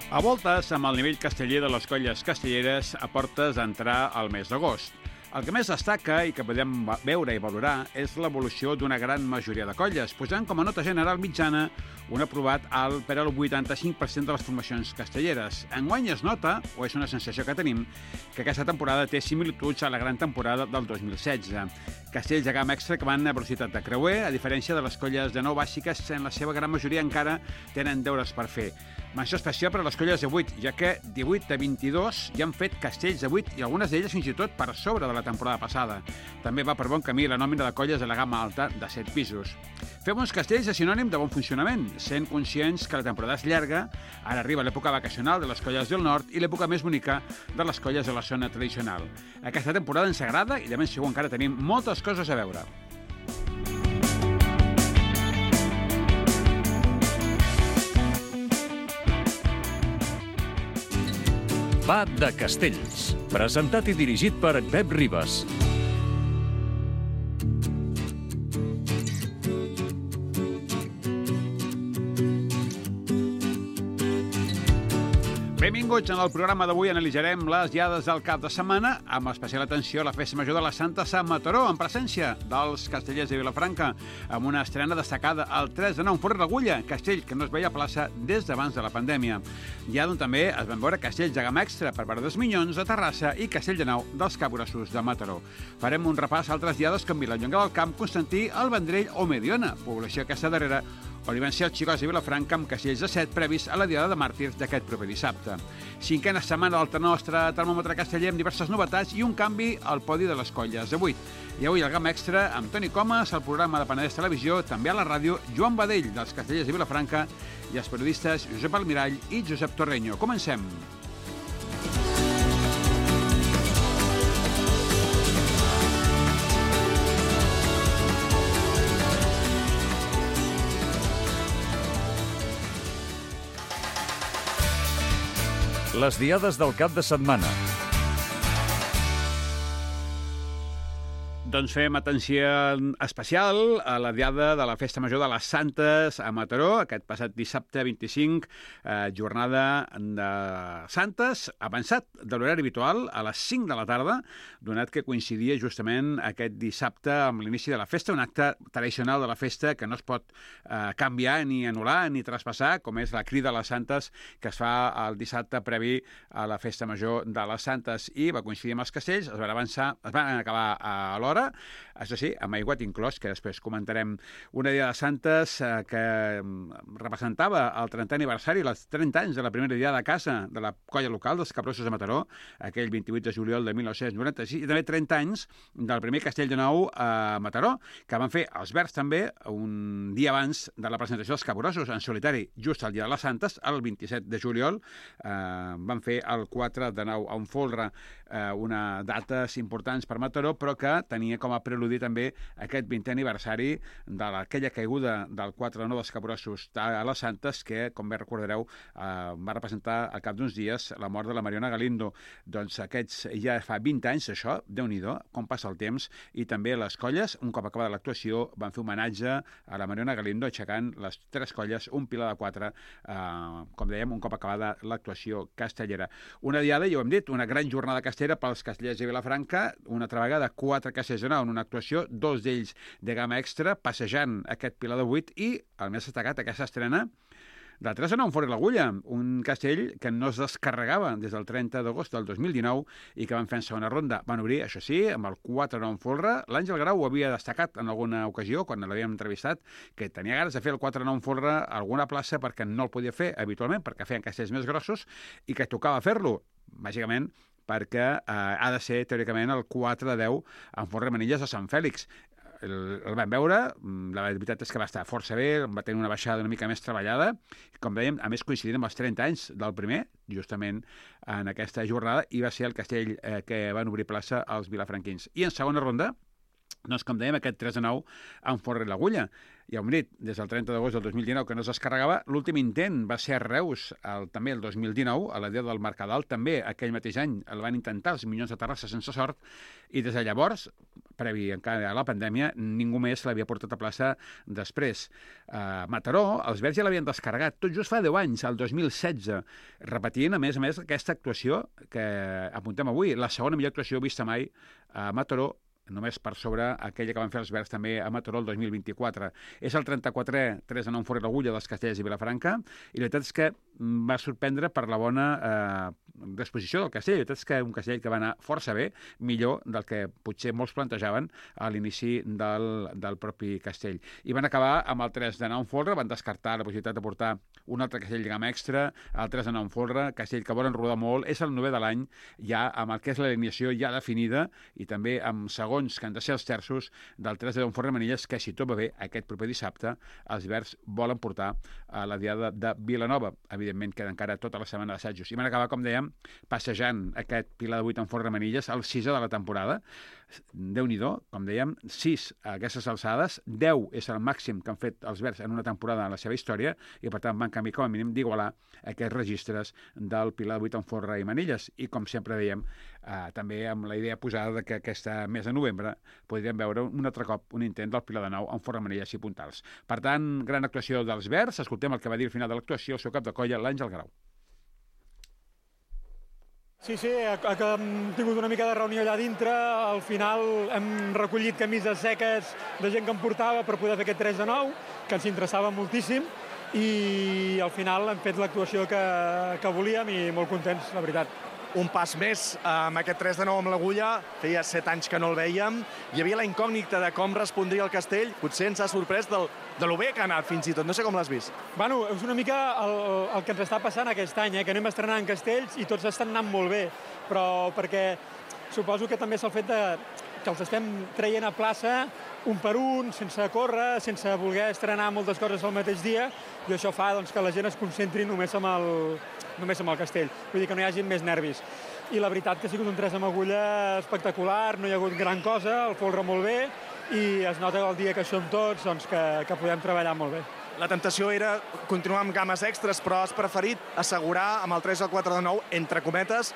A voltes, amb el nivell casteller de les colles castelleres, a portes d'entrar al mes d'agost. El que més destaca i que podem veure i valorar és l'evolució d'una gran majoria de colles, posant com a nota general mitjana un aprovat alt per al 85% de les formacions castelleres. Enguany es nota, o és una sensació que tenim, que aquesta temporada té similituds a la gran temporada del 2016. Castells de gamma extra que van a velocitat de creuer, a diferència de les colles de 9 bàsiques, en la seva gran majoria encara tenen deures per fer. Menció especial per a les colles de 8, ja que 18 de 22 ja han fet castells de 8 i algunes d'elles fins i tot per sobre de la temporada passada. També va per bon camí la nòmina de colles de la gamma alta de 7 pisos. Fer bons castells és sinònim de bon funcionament, sent conscients que la temporada és llarga, ara arriba l'època vacacional de les colles del nord i l'època més bonica de les colles de la zona tradicional. Aquesta temporada ens agrada i de ben segur encara tenim moltes coses a veure. Va de Castells, presentat i dirigit per Pep Ribas. Benvinguts. En el programa d'avui analitzarem les diades del cap de setmana, amb especial atenció a la Festa Major de la Santa a Mataró, en presència dels castellers de Vilafranca, amb una estrena destacada el 3 de 9 en Forn d'Agulla, castell que no es veia a plaça des d'abans de la pandèmia. Ja d'on també es van veure castells de gamma extra per part dels Minyons de Terrassa i castell de Nau dels Capgrossos de Mataró. Farem un repàs a altres diades com Vilallonga del Camp, Constantí, el Vendrell o Mediona, població aquesta darrera, on hi van ser els xicots de Vilafranca amb castells de 7 previs a la Diada de Màrtirs d'aquest proper dissabte. 5a setmana del nostre termòmetre casteller amb diverses novetats i un canvi al podi de les colles de 8. I avui el gamma extra amb Toni Comas, el programa de Penedès Televisió, també a la ràdio, Joan Badell, dels castellers de Vilafranca, i els periodistes Josep Almirall i Josep Torreño. Comencem. Les diades del cap de setmana. Doncs fem atenció especial a la diada de la Festa Major de les Santes a Mataró, aquest passat dissabte 25, jornada de Santes, avançat de l'horari habitual a les 5 de la tarda, donat que coincidia justament aquest dissabte amb l'inici de la festa, un acte tradicional de la festa que no es pot canviar ni anul·lar ni traspassar, com és la crida a les Santes que es fa el dissabte previ a la Festa Major de les Santes, i va coincidir amb els castells, es van acabar a l'hora, això sí, amb aiguat inclòs, que després comentarem. Una Diada de Santes que representava el 30è aniversari, els 30 anys de la primera diada de casa de la colla local dels Capgrossos de Mataró, aquell 28 de juliol de 1996, i també 30 anys del primer castell de nou a Mataró, que van fer els Verds també un dia abans de la presentació dels Capgrossos en solitari, just el dia de les Santes, el 27 de juliol. Van fer el 4 de 9 a un folre, una dates importants per Mataró, però que tenia com a preludi també aquest 20è aniversari d'aquella caiguda del 4 de 9 dels Capgrossos a les Santes, que, com bé recordareu, va representar al cap d'uns dies la mort de la Mariona Galindo. Doncs aquests ja fa 20 anys, això, Déu-n'hi-do, com passa el temps, i també les colles, un cop acabada l'actuació, van fer homenatge a la Mariona Galindo, aixecant les 3 colles, un pilar de 4, com dèiem, un cop acabada l'actuació castellera. Una diada, ja ho hem dit, una gran jornada castellera pels castellers de Vilafranca, una altra vegada 4 castellers de nou en una actuació, 2 d'ells de gamma extra, passejant aquest pilar de 8, i el més destacat, aquesta estrena del 3 de 9 en Forn d'Agulla, un castell que no es descarregava des del 30 d'agost del 2019 i que van fer en segona ronda. Van obrir, això sí, amb el 4 de 9 en folre. L'Àngel Grau ho havia destacat en alguna ocasió, quan l'havíem entrevistat, que tenia ganes de fer el 4 de 9 en folre a alguna plaça perquè no el podia fer habitualment, perquè feien castells més grossos i que tocava fer-lo, bàsicament, perquè ha de ser, teòricament, el 4 de 10 en Forn Manilles de Sant Fèlix. El vam veure, la veritat és que va estar força bé, va tenir una baixada una mica més treballada, com dèiem, a més coincidint amb els 30 anys del primer, justament en aquesta jornada, i va ser el castell que van obrir plaça als vilafranquins. I en segona ronda, Doncs, com dèiem, aquest 3-9 en forra i l'agulla. Ja ho hem dit, des del 30 d'agost del 2019 que no es descarregava. L'últim intent va ser a Reus, també el 2019, a la dia del Mercadal, també aquell mateix any el van intentar els Minyons de Terrassa sense sort, i des de llavors, previ encara a la pandèmia, ningú més l'havia portat a plaça després. Mataró, els Verds ja l'havien descarregat tot just fa 10 anys, el 2016, repetint, a més, aquesta actuació que apuntem avui, la segona millor actuació vista mai a Mataró, només per sobre aquella que van fer els Verds també a Mataró el 2024. És el 34è 3-9 fora l'agulla dels Castellers i Vilafranca, i la veritat és que va sorprendre per la bona disposició del Castell. La veritat és que un Castell que va anar força bé, millor del que potser molts plantejaven a l'inici del propi Castell. I van acabar amb el 3-9 en folre, van descartar la possibilitat de portar un altre Castell de gamma extra, el 3-9 en folre, Castell que volen rodar molt, és el 9è de l'any, ja amb el que és l'alineació ja definida, i també amb segons que han de ser els terços del 3-10 en forra Manilles, que si tot va bé, aquest proper dissabte els Verds volen portar a la diada de Vilanova. Evidentment queda encara tota la setmana d'assajos. I van acabar, com dèiem, passejant aquest Pilar de 8 en forra Manilles, el 6è de la temporada. Déu-n'hi-do, com dèiem, 6 a aquestes alçades, 10 és el màxim que han fet els Verds en una temporada en la seva història, i per tant van canviar com a mínim d'igualar aquests registres del Pilar de 8 en forra i Manilles. I com sempre dèiem, també amb la idea posada que aquesta mes de novembre podríem veure un altre cop un intent del Pilar de 9 en forra Manilles i Puntals. Per tant, gran actuació dels Verds. Escoltem el que va dir al final de l'actuació el seu cap de colla, l'Àngel Grau. Sí, hem tingut una mica de reunió allà dintre. Al final hem recollit camises seques de gent que em portava per poder fer aquest 3-9, que ens interessava moltíssim, i al final hem fet l'actuació que volíem i molt contents, la veritat. Un pas més amb aquest 3-9 amb l'agulla, feia 7 anys que no el vèiem, hi havia la incògnita de com respondria el Castell, potser ens ha sorprès de lo bé que ha anat fins i tot, no sé com l'has vist. Bueno, és una mica el que ens està passant aquest any, que anem estrenant castells i tots estan anant molt bé, però perquè suposo que també és el fet que els estem traient a plaça un per un, sense córrer, sense voler estrenar moltes coses al mateix dia, i això fa que la gent es concentri només amb el castell. Vull dir que no hi hagi més nervis. I la veritat que ha sigut un 3 amb agulla espectacular, no hi ha hagut gran cosa, el folre molt bé, i es nota el dia que som tots que podem treballar molt bé. La temptació era continuar amb games extres, però has preferit assegurar amb el 3 o el 4 de 9, entre cometes,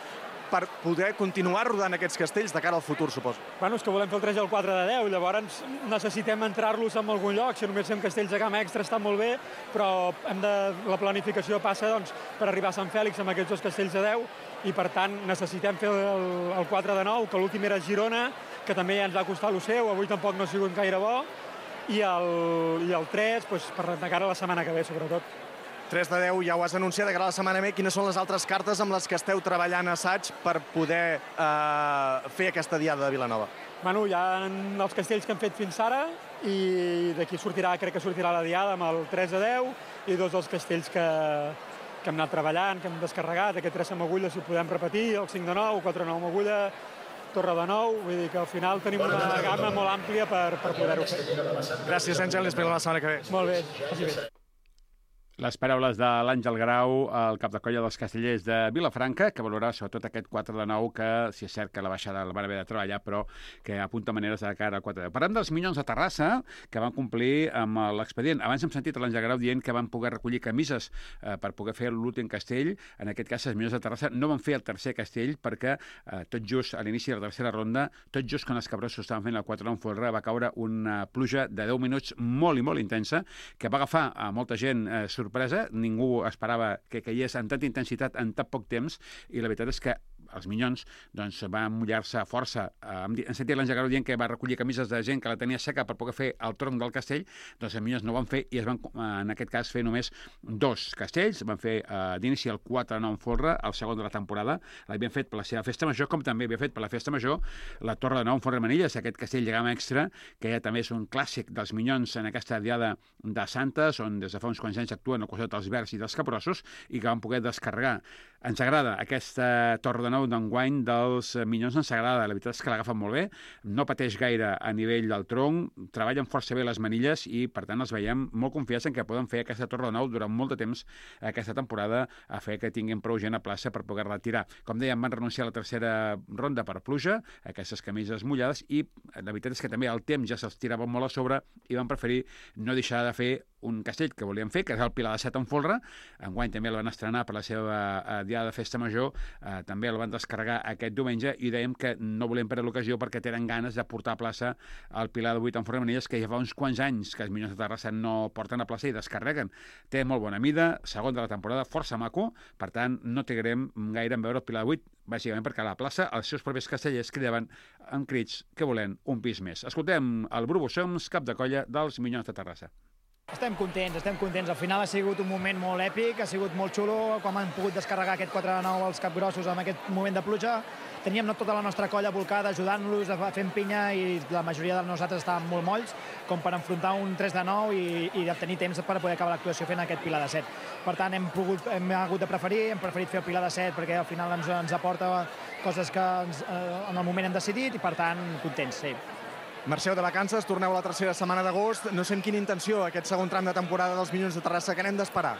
per poder continuar rodant aquests castells de cara al futur, suposo. Bueno, és que volem fer el 3 i el 4 de 10, llavors necessitem entrar-los en algun lloc. Si només fem castells de gamma extra està molt bé, però la planificació passa per arribar a Sant Fèlix amb aquests dos castells de 10, i per tant necessitem fer el 4 de 9, que l'últim era Girona, que també ja ens va costar el seu, avui tampoc no ha sigut gaire bo, i el 3 per de cara a la setmana que ve, sobretot. 3 de 10 ja ho has anunciat, de cara a la setmana ve. Quines són les altres cartes amb les que esteu treballant a assaig per poder fer aquesta diada de Vilanova? Bueno, hi ha els castells que hem fet fins ara, i d'aquí crec que sortirà la diada amb el 3 de 10, i dos dels castells que hem anat treballant, que hem descarregat, aquest 3 amb agulla, si ho podem repetir, el 5 de 9, 4 de 9 amb agulla, Torre de 9, vull dir que al final tenim una gamma molt àmplia per poder-ho fer. Gràcies, Àngel, i esperem la setmana que ve. Molt bé, vagi bé. Les paraules de l'Àngel Grau, el cap de colla dels Castellers de Vilafranca, que valorarà sobretot aquest 4 de 9, que si és cert que la baixada la van haver de treballar, però que apunta maneres de cara al 4 de 10. Parlem dels Minyons de Terrassa, que van complir amb l'expedient. Abans hem sentit l'Àngel Grau dient que van poder recollir camises per poder fer l'últim castell. En aquest cas, els Minyons de Terrassa no van fer el tercer castell perquè tot just a l'inici de la tercera ronda, tot just quan els Cabrosos estaven fent el 4 de 9 folre, va caure una pluja de 10 minuts molt i molt intensa, que va agafar a molta gent sorpresa. Ningú esperava que caigués amb tanta intensitat en tan poc temps, i la veritat és que els Minyons van mullar-se força. Hem sentit l'Àngel Grau dient que va recollir camises de gent que la tenia seca per poder fer el tronc del castell. Doncs els Minyons no ho van fer, i es van, en aquest cas, fer només 2 castells. Van fer d'inici el 4 de 9 en folre, el segon de la temporada. L'havien fet per la seva festa major, com també havia fet per la festa major la Torre de 9 en folre Manilles, aquest castell de gamma extra, que ja també és un clàssic dels Minyons en aquesta diada de Santes, on des de fa uns quants anys actuen al costat dels Verds i dels Cabrossos, i que van poder descarregar. Ens agrada aquesta Torre de Nou d'enguany dels Minyons, ens agrada. La veritat és que l'agafen molt bé, no pateix gaire a nivell del tronc, treballen força bé les manilles i, per tant, els veiem molt confiats en que poden fer aquesta Torre de Nou durant molt de temps aquesta temporada a fer que tinguin prou gent a plaça per poder-la tirar. Com dèiem, van renunciar a la tercera ronda per pluja, aquestes camises mullades, i la veritat és que també el temps ja se'ls tirava molt a sobre i van preferir no deixar de fer un castell que volien fer, que és el Pilar de Set en folre. Enguany també el van estrenar per la seva diada de festa major, també el van descarregar aquest diumenge i dèiem que no volem perdre l'ocasió perquè tenen ganes de portar a plaça el Pilar de 8 en folre de manilles, que ja fa uns quants anys que els Minyons de Terrassa no porten a plaça i descarreguen. Té molt bona mida, segon de la temporada, força maco, per tant no trigarem gaire en veure el Pilar de 8, bàsicament perquè a la plaça els seus propis castellers cridaven amb crits que volen un pis més. Escoltem el Bru Bossons, cap de colla dels Minyons de Terrassa. Estem contents. Al final ha sigut un moment molt èpic, ha sigut molt xulo, com han pogut descarregar aquest 4-9 als capgrossos amb aquest moment de pluja. Teníem tota la nostra colla volcada ajudant-los, fent pinya, i la majoria de nosaltres estàvem molt molls, com per enfrontar un 3-9 i de tenir temps per poder acabar l'actuació fent aquest Pilar de 7. Per tant, hem hagut de hem preferit fer el Pilar de 7 perquè al final ens aporta coses que en el moment hem decidit i, per tant, contents, sí. Marxeu de vacances, torneu a la tercera setmana d'agost. No sé amb quina intenció aquest segon tram de temporada dels Minyons de Terrassa, que n'hem d'esperar?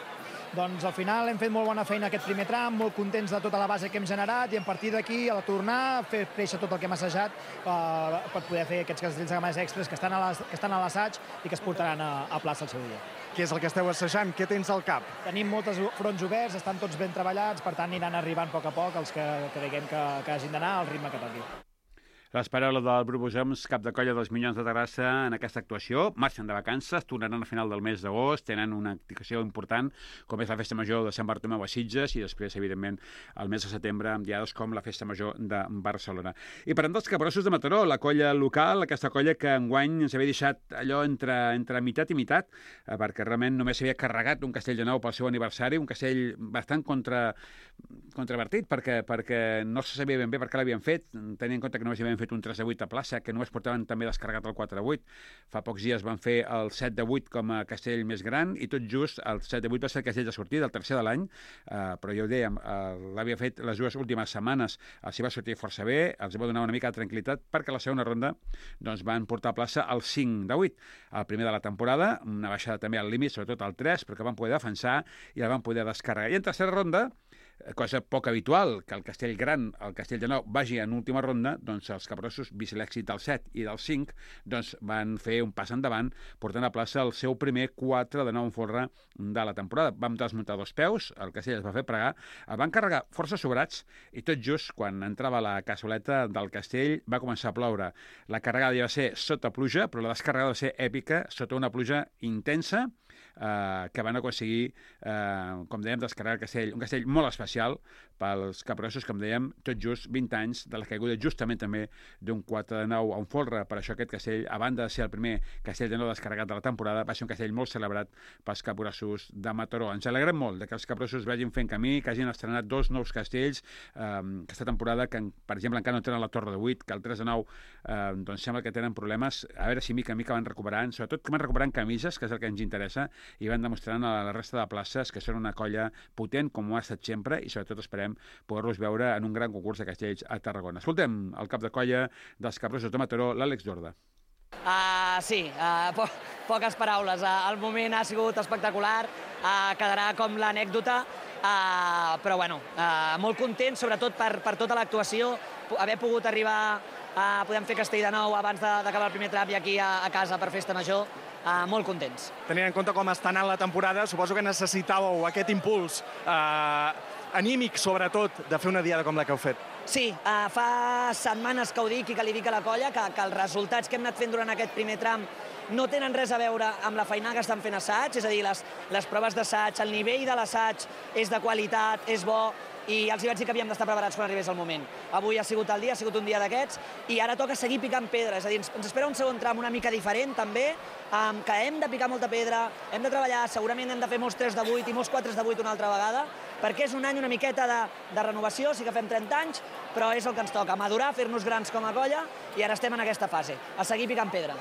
Doncs al final hem fet molt bona feina aquest primer tram, molt contents de tota la base que hem generat, i a partir d'aquí, a la tornar, fer créixer tot el que hem assajat per poder fer aquests castells de gamades extres que estan a l'assaig i que es portaran a plaça el seu dia. Què és el que esteu assajant? Què tens al cap? Tenim molts fronts oberts, estan tots ben treballats, per tant aniran arribant a poc els que creguem que hagin d'anar al ritme que toqui. Les paraules del Bru Bossons, cap de colla dels Minyons de Terrassa, en aquesta actuació. Marxen de vacances, tornaran a final del mes d'agost, tenen una activació important, com és la Festa Major de Sant Bartomeu a Sitges, i després, evidentment, el mes de setembre, amb diades com la Festa Major de Barcelona. I parlem dels capgrossos de Mataró, la colla local, aquesta colla que enguany ens havia deixat allò entre meitat i meitat, perquè realment només s'havia carregat un castell de nou pel seu aniversari, un castell bastant controvertit, perquè no se sabia ben bé per què l'havien fet, tenint en compte que només hi havien fet un 3-8 a plaça, que només portaven també descarregat el 4-8. Fa pocs dies van fer el 7-8 com a castell més gran, i tot just el 7-8 va ser el castell de sortida, el tercer de l'any, però ja ho dèiem, l'havia fet les dues últimes setmanes, els hi va sortir força bé, els va donar una mica de tranquil·litat, perquè a la segona ronda doncs, van portar a plaça el 5-8, el primer de la temporada, una baixada també al límit, sobretot al 3, però que van poder defensar i la van poder descarregar. I en tercera ronda, cosa poc habitual, que el castell gran, el castell de nou, vagi en última ronda, doncs els capgrossos, vist l'èxit del 7 i del 5, doncs van fer un pas endavant, portant a plaça el seu primer 4 de nou en folre de la temporada. Vam desmuntar 2 peus, el castell es va fer pregar, el van carregar força sobrats, i tot just quan entrava la cassoleta del castell va començar a ploure. La carregada ja va ser sota pluja, però la descarregada va ser èpica, sota una pluja intensa, que van aconseguir, com dèiem, descarregar el castell, un castell molt especial pels capgrossos, com dèiem, tot just 20 anys de la caiguda justament també d'un 4 de 9 en folre. Per això aquest castell, a banda de ser el primer castell de nou descarregat de la temporada, va ser un castell molt celebrat pels capgrossos de Mataró. Ens alegrem molt que els capgrossos vagin fent camí, que hagin estrenat 2 nous castells aquesta temporada, que per exemple encara no tenen la Torre de 8, que el 3 de 9 doncs sembla que tenen problemes. A veure si mica en mica van recuperant, sobretot que van recuperant camises, que és el que ens interessa, i van demostrant a la resta de places que són una colla potent, com ho ha estat sempre, i sobretot esperem poder-los veure en un gran concurs de castells a Tarragona. Escoltem el cap de colla dels capgrossos de Mataró, l'Àlex Dorda. Sí, poques paraules. El moment ha sigut espectacular, quedarà com l'anècdota, però bueno, molt content, sobretot per tota l'actuació, haver pogut arribar a poder fer castell de nou abans d'acabar el primer tram i aquí a casa per Festa Major. Molt contents. Tenint en compte com està anant la temporada, suposo que necessitàveu aquest impuls anímic, sobretot, de fer una diada com la que heu fet. Sí, fa setmanes que ho dic i que li dic a la colla que els resultats que hem anat fent durant aquest primer tram no tenen res a veure amb la feina que estan fent assaig, és a dir, les proves d'assaig, el nivell de l'assaig és de qualitat, és bo, i els hi vaig dir que havíem d'estar preparats quan arribés el moment. Avui ha sigut el dia, ha sigut un dia d'aquests, i ara toca seguir picant pedra, és a dir, ens espera un segon tram una mica diferent, també, que hem de picar molta pedra, hem de treballar, segurament hem de fer molts 3 de 8 i molts 4 de 8 una altra vegada, perquè és un any una miqueta de renovació, sí que fem 30 anys, però és el que ens toca, madurar, fer-nos grans com a colla, i ara estem en aquesta fase, a seguir picant pedra.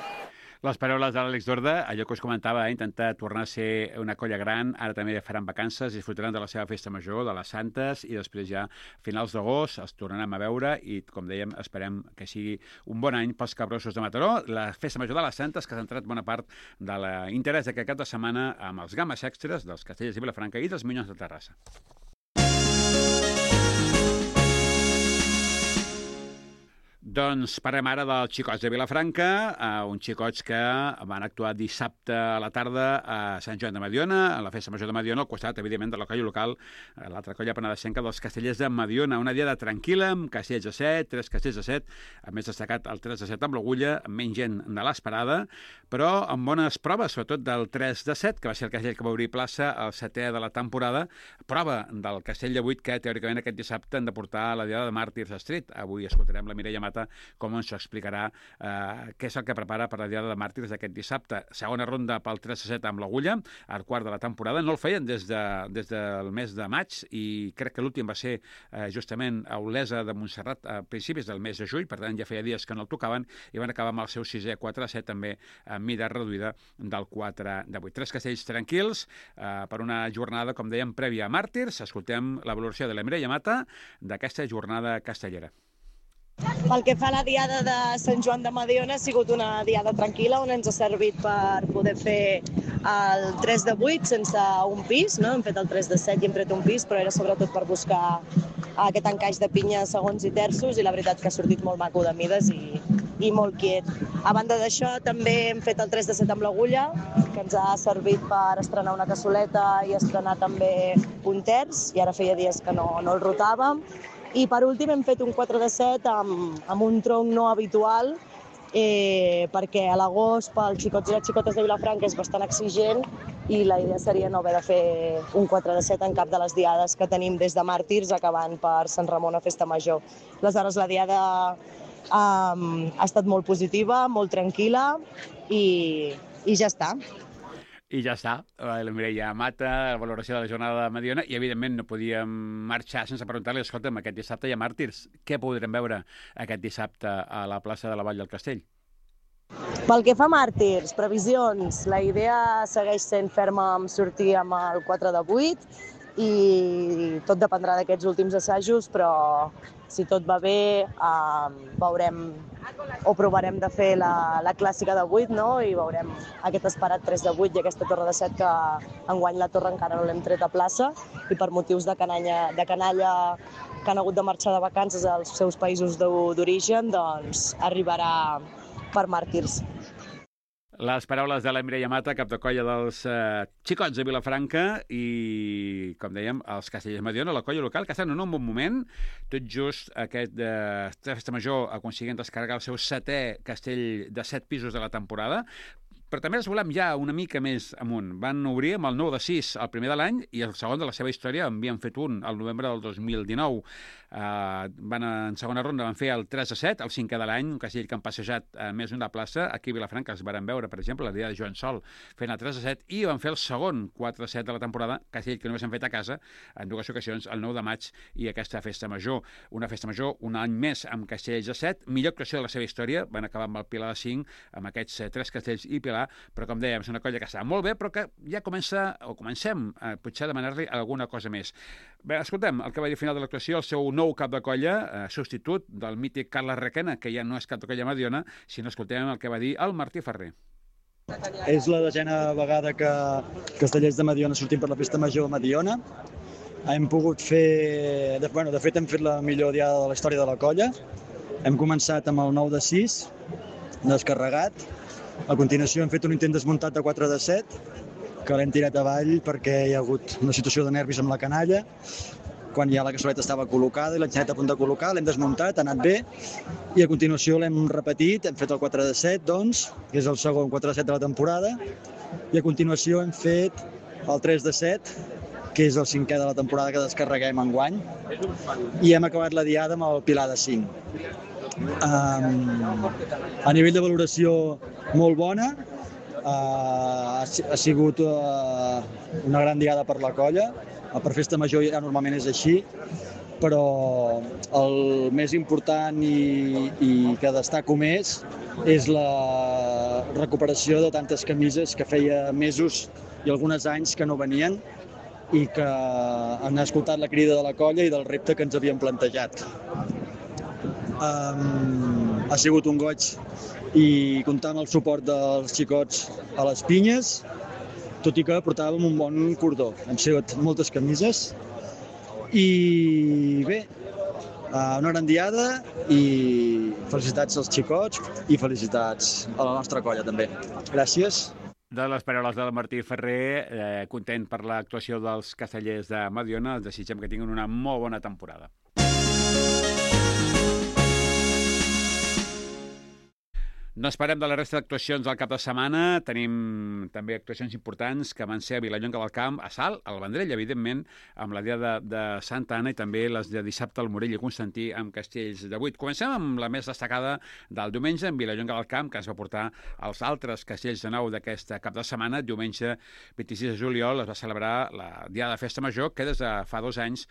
Les paraules de l'Àlex Dorda, allò que us comentava, intentar tornar a ser una colla gran, ara també faran vacances, disfrutaran de la seva festa major, de les Santes, i després ja a finals d'agost els tornarem a veure i, com dèiem, esperem que sigui un bon any pels Capgrossos de Mataró. La festa major de les Santes, que ha centrat bona part de l'interès d'aquest cap de setmana amb els games extras dels Castellers de Vilafranca i dels Minyons de Terrassa. Doncs parlem ara dels xicots de Vilafranca, uns xicots que van actuar dissabte a la tarda a Sant Joan de Mediona, a la festa major de Mediona, al costat, evidentment, de la colla local, l'altra colla penedesenca dels Castellers de Mediona. Una diada tranquil·la, amb castells de 7, 3 castells de 7, a més destacat el 3 de 7 amb l'Agulla, amb menys gent de l'esperada, però amb bones proves, sobretot del 3 de 7, que va ser el castell que va obrir plaça el 7è de la temporada, prova del castell de 8 que, teòricament, aquest dissabte han de portar a la diada de Màrtirs Street. Avui escoltarem la Mireia Mata com ens explicarà què és el que prepara per la diada de Màrtirs d'aquest dissabte. Segona ronda pel 3-7 amb l'Agulla, el quart de la temporada. No el feien des del mes de maig i crec que l'últim va ser justament a Olesa de Montserrat a principis del mes de juny, per tant ja feia dies que no el tocaven i van acabar amb el seu 6è 4-7 també amb mida reduïda del 4 de 8. 3 castells tranquils per una jornada, com dèiem, prèvia a Màrtirs. Escoltem la valoració de la Mireia Mata d'aquesta jornada castellera. Pel que fa a la diada de Sant Joan de Mediona, ha sigut una diada tranquil·la on ens ha servit per poder fer el 3 de 8 sense un pis, no? Hem fet el 3 de 7 i hem tret un pis, però era sobretot per buscar aquest encaix de pinya segons i terços i la veritat que ha sortit molt maco de mides i molt quiet. A banda d'això, també hem fet el 3 de 7 amb l'Agulla, que ens ha servit per estrenar una cassoleta i estrenar també un terç, i ara feia dies que no el rotàvem. I per últim hem fet un 4 de 7 amb un tronc no habitual, perquè a l'agost pels xicots i les xicotes de Vilafranca és bastant exigent i la idea seria no haver de fer un 4 de 7 en cap de les diades que tenim des de Màrtirs acabant per Sant Ramon a Festa Major. Aleshores, la diada ha estat molt positiva, molt tranquil·la i ja està. I ja està, la Mireia Mata, la valoració de la jornada de Mediona, i evidentment no podíem marxar sense preguntar-li, escolta'm, aquest dissabte hi ha Màrtirs, què podrem veure aquest dissabte a la plaça de la Vall del Castell? Pel que fa a Màrtirs, previsions, la idea segueix sent ferma amb sortir amb el 4 de 8 i tot dependrà d'aquests últims assajos, però si tot va bé veurem o provarem de fer la clàssica de 8, no? I veurem aquest esperat 3 de 8 i aquesta torre de 7 que enguany la torre encara no l'hem tret a plaça i per motius de canalla que han hagut de marxar de vacances als seus països d'origen, doncs arribarà per Màrtirs. Les paraules de la Mireia Mata, cap de colla dels xicots de Vilafranca i, com dèiem, els Castellers de Mediona, la colla local, que estan en un bon moment. Tot just aquest festa major aconseguint descarregar el seu 7è castell de 7 pisos de la temporada, però també els volem ja una mica més amunt. Van obrir amb el 9 de 6 el primer de l'any i el segon de la seva història havien fet un al novembre del 2019. En segona ronda van fer el 3 de 7, el 5è de l'any, un castell que han passejat més d'una plaça. Aquí a Vilafranca els varen veure, per exemple, la dia de Joan Sol fent el 3 de 7 i van fer el segon 4 de 7 de la temporada, castell que només han fet a casa en 2 ocasions, el 9 de maig i aquesta festa major. Una festa major un any més amb castells de 7, millor actuació de la seva història, van acabar amb el Pilar de 5, amb aquests 3 castells i Pilar, però com dèiem, és una colla que està molt bé, però que ja comencem potser a demanar-li alguna cosa més. Bé, escoltem el que va dir al final de l'actuació, el seu nou cap de colla, substitut del mític Carles Requena, que ja no és cap de colla Mediona, sinó escoltem el que va dir el Martí Ferrer. És la 10a vegada que Castellers de Mediona sortim per la festa major a Mediona. Hem pogut fer... De fet, hem fet la millor diada de la història de la colla. Hem començat amb el 9 de 6, descarregat. A continuació hem fet un intent desmuntat de 4 de 7, que l'hem tirat avall perquè hi ha hagut una situació de nervis amb la canalla. Quan ja la cassoleta estava col·locada i l'enxaneta a punt de col·locar, l'hem desmuntat, ha anat bé. I a continuació l'hem repetit, hem fet el 4 de 7, doncs, que és el segon 4 de 7 de la temporada. I a continuació hem fet el 3 de 7, que és el 5è de la temporada que descarreguem enguany. I hem acabat la diada amb el Pilar de 5. A nivell de valoració molt bona, ha sigut una gran diada per la colla, per festa major ja normalment és així, però el més important i que destaco més és recuperació de tantes camises que feia mesos i alguns anys que no venien i que han escoltat la crida de la colla i del repte que ens havíem plantejat. Ha sigut un goig i comptar amb el suport dels xicots a les pinyes, tot i que portàvem un bon cordó. Hem sigut moltes camises i bé, una gran diada i felicitats als xicots i felicitats a la nostra colla també. Gràcies. De les paraules del Martí Ferrer, content per l'actuació dels castellers de Mediona, els desitgem que tinguin una molt bona temporada. No esperem de la resta d'actuacions del cap de setmana. Tenim també actuacions importants que van ser a Vilallonga del Camp, a Salt, al Vendrell, evidentment, amb la dia de Santa Anna i també les de dissabte al Morell i Constantí amb Castells de 8. Comencem amb la més destacada del diumenge, en Vilallonga del Camp, que ens va portar als altres Castells de 9 d'aquest cap de setmana. Diumenge 26 de juliol es va celebrar la Diada de Festa Major, que des de fa 2 anys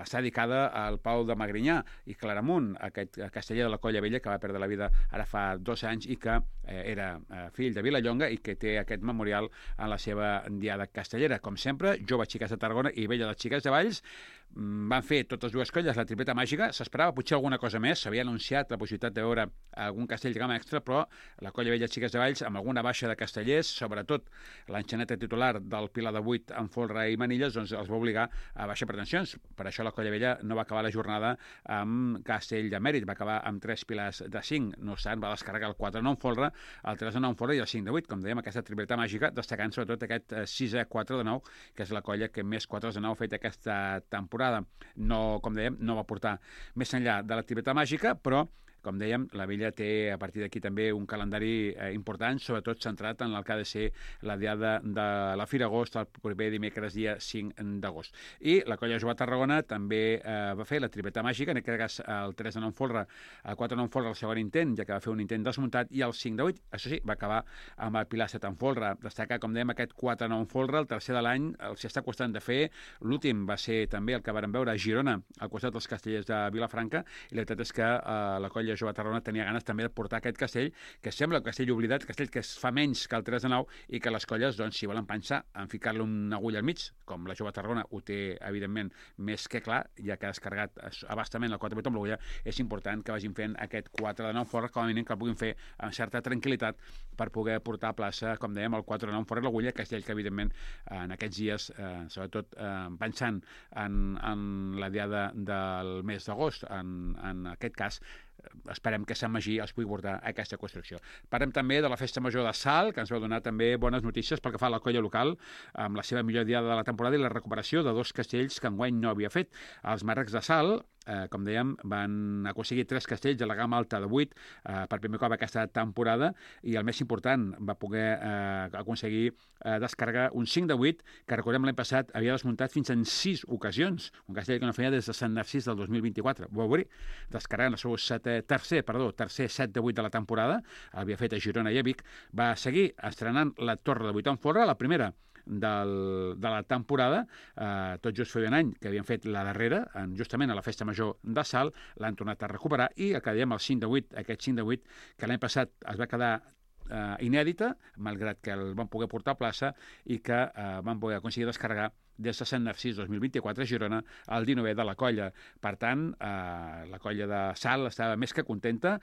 està dedicada al Pau de Magrinyà i Claramunt, aquest casteller de la Colla Vella que va perdre la vida ara fa 2 anys i que era fill de Vilallonga i que té aquest memorial en la seva diada castellera. Com sempre, Joves Xiques de Tarragona i Vella de Xiques de Valls van fer totes dues colles la tripleta màgica. S'esperava potser alguna cosa més, s'havia anunciat la possibilitat de veure algun castell de gamma extra, però la Colla Vella Xiques de Valls, amb alguna baixa de castellers, sobretot l'enxaneta titular del Pilar de 8 amb folre i manilles, doncs els va obligar a baixar pretensions. Per això la Colla Vella no va acabar la jornada amb castell de mèrit, va acabar amb 3 pilars de 5. No obstant, va descarregar el 4 de 9 folre, el 3 de 9 folre i el 5 de 8, com dèiem, aquesta tripleta màgica, destacant sobretot aquest 6 4 de 9, que és la colla que més 4 de 9 ha fet aquesta temporada. No, com dèiem, no va portar més enllà de la tripleta màgica, però com dèiem, la Vella té a partir d'aquí també un calendari important, sobretot centrat en el que ha de ser la diada de la Fira Agost el proper dimecres dia 5 d'agost. I la Colla Jove Tarragona també va fer la tripleta màgica, en aquest cas el 3 de 9 folre, el 4 de 9 folre el segon intent, ja que va fer un intent desmuntat, i el 5 de 8, això sí, va acabar amb el Pilar 7 en folre. Destacar, com dèiem, aquest 4 de 9 folre, el tercer de l'any, s'hi està costant de fer. L'últim va ser també el que vàrem veure a Girona, al costat dels castellers de Vilafranca, i la veritat és que la Colla Jove Tarragona tenia ganes també de portar aquest castell, que sembla un castell oblidat, castell que es fa menys que el 3 de 9 i que les colles, doncs, si volen pensar en ficar-li una agulla al mig, com la Jove Tarragona ho té, evidentment, més que clar, ja que ha descarregat abastament el 4 de 8 amb l'agulla, és important que vagin fent aquest 4 de 9 folre, com a mínim que el puguin fer amb certa tranquil·litat per poder portar a plaça, com dèiem, el 4 de 9 folre l'agulla, castell que, evidentment, en aquests dies, sobretot pensant en la diada del mes d'agost, en aquest cas, esperem que Sant Magí els pugui portar a aquesta construcció. Parlem també de la Festa Major de Salt, que ens va donar també bones notícies pel que fa a la colla local, amb la seva millor diada de la temporada i la recuperació de 2 castells que enguany no havia fet. Els Marrecs de Salt, com dèiem, van aconseguir 3 castells de la gamma alta de 8 per primer cop aquesta temporada, i el més important, va poder aconseguir descarregar un 5 de 8, que recordem l'any passat havia desmuntat fins en 6 ocasions, un castell que no feia des de Sant Narcís del 2024. Ho veuré, descarregant el seu tercer 7 de 8 de la temporada, havia fet a Girona i a Vic, va seguir estrenant la Torre de 8 en folre, la primera de la temporada, tot just feia un any que havien fet la darrera, justament a la Festa Major de Salt, l'han tornat a recuperar, i el que dèiem, el 5 de 8, aquest 5 de 8, que l'any passat es va quedar inèdita, malgrat que el van poder portar a plaça i que van poder aconseguir descarregar des de Sant Narcís 2024 a Girona, el 19è de la colla. Per tant, la colla de Salt estava més que contenta,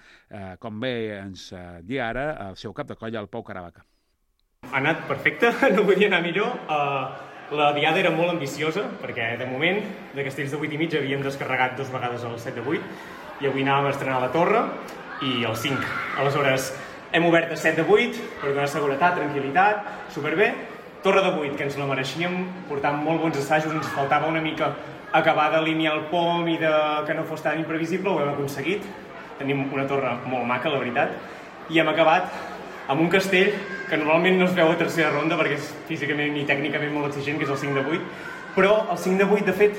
com bé ens dia ara el seu cap de colla, el Pau Caravaca. Ha anat perfecte, no podia anar millor. La diada era molt ambiciosa, perquè de moment de castells de 8 i mig havíem descarregat 2 vegades el 7 de 8 i avui anàvem a estrenar la Torre i el 5. Aleshores, hem obert a 7 de 8 per donar seguretat, tranquil·litat, superbé. Torre de 8, que ens la mereixíem, portant molt bons assajos, ens faltava una mica acabar d'alinear el pom i que no fos tan imprevisible, ho hem aconseguit. Tenim una torre molt maca, la veritat, i hem acabat amb un castell que normalment no es veu a tercera ronda perquè és físicament i tècnicament molt exigent, que és el 5 de 8, però el 5 de 8, de fet,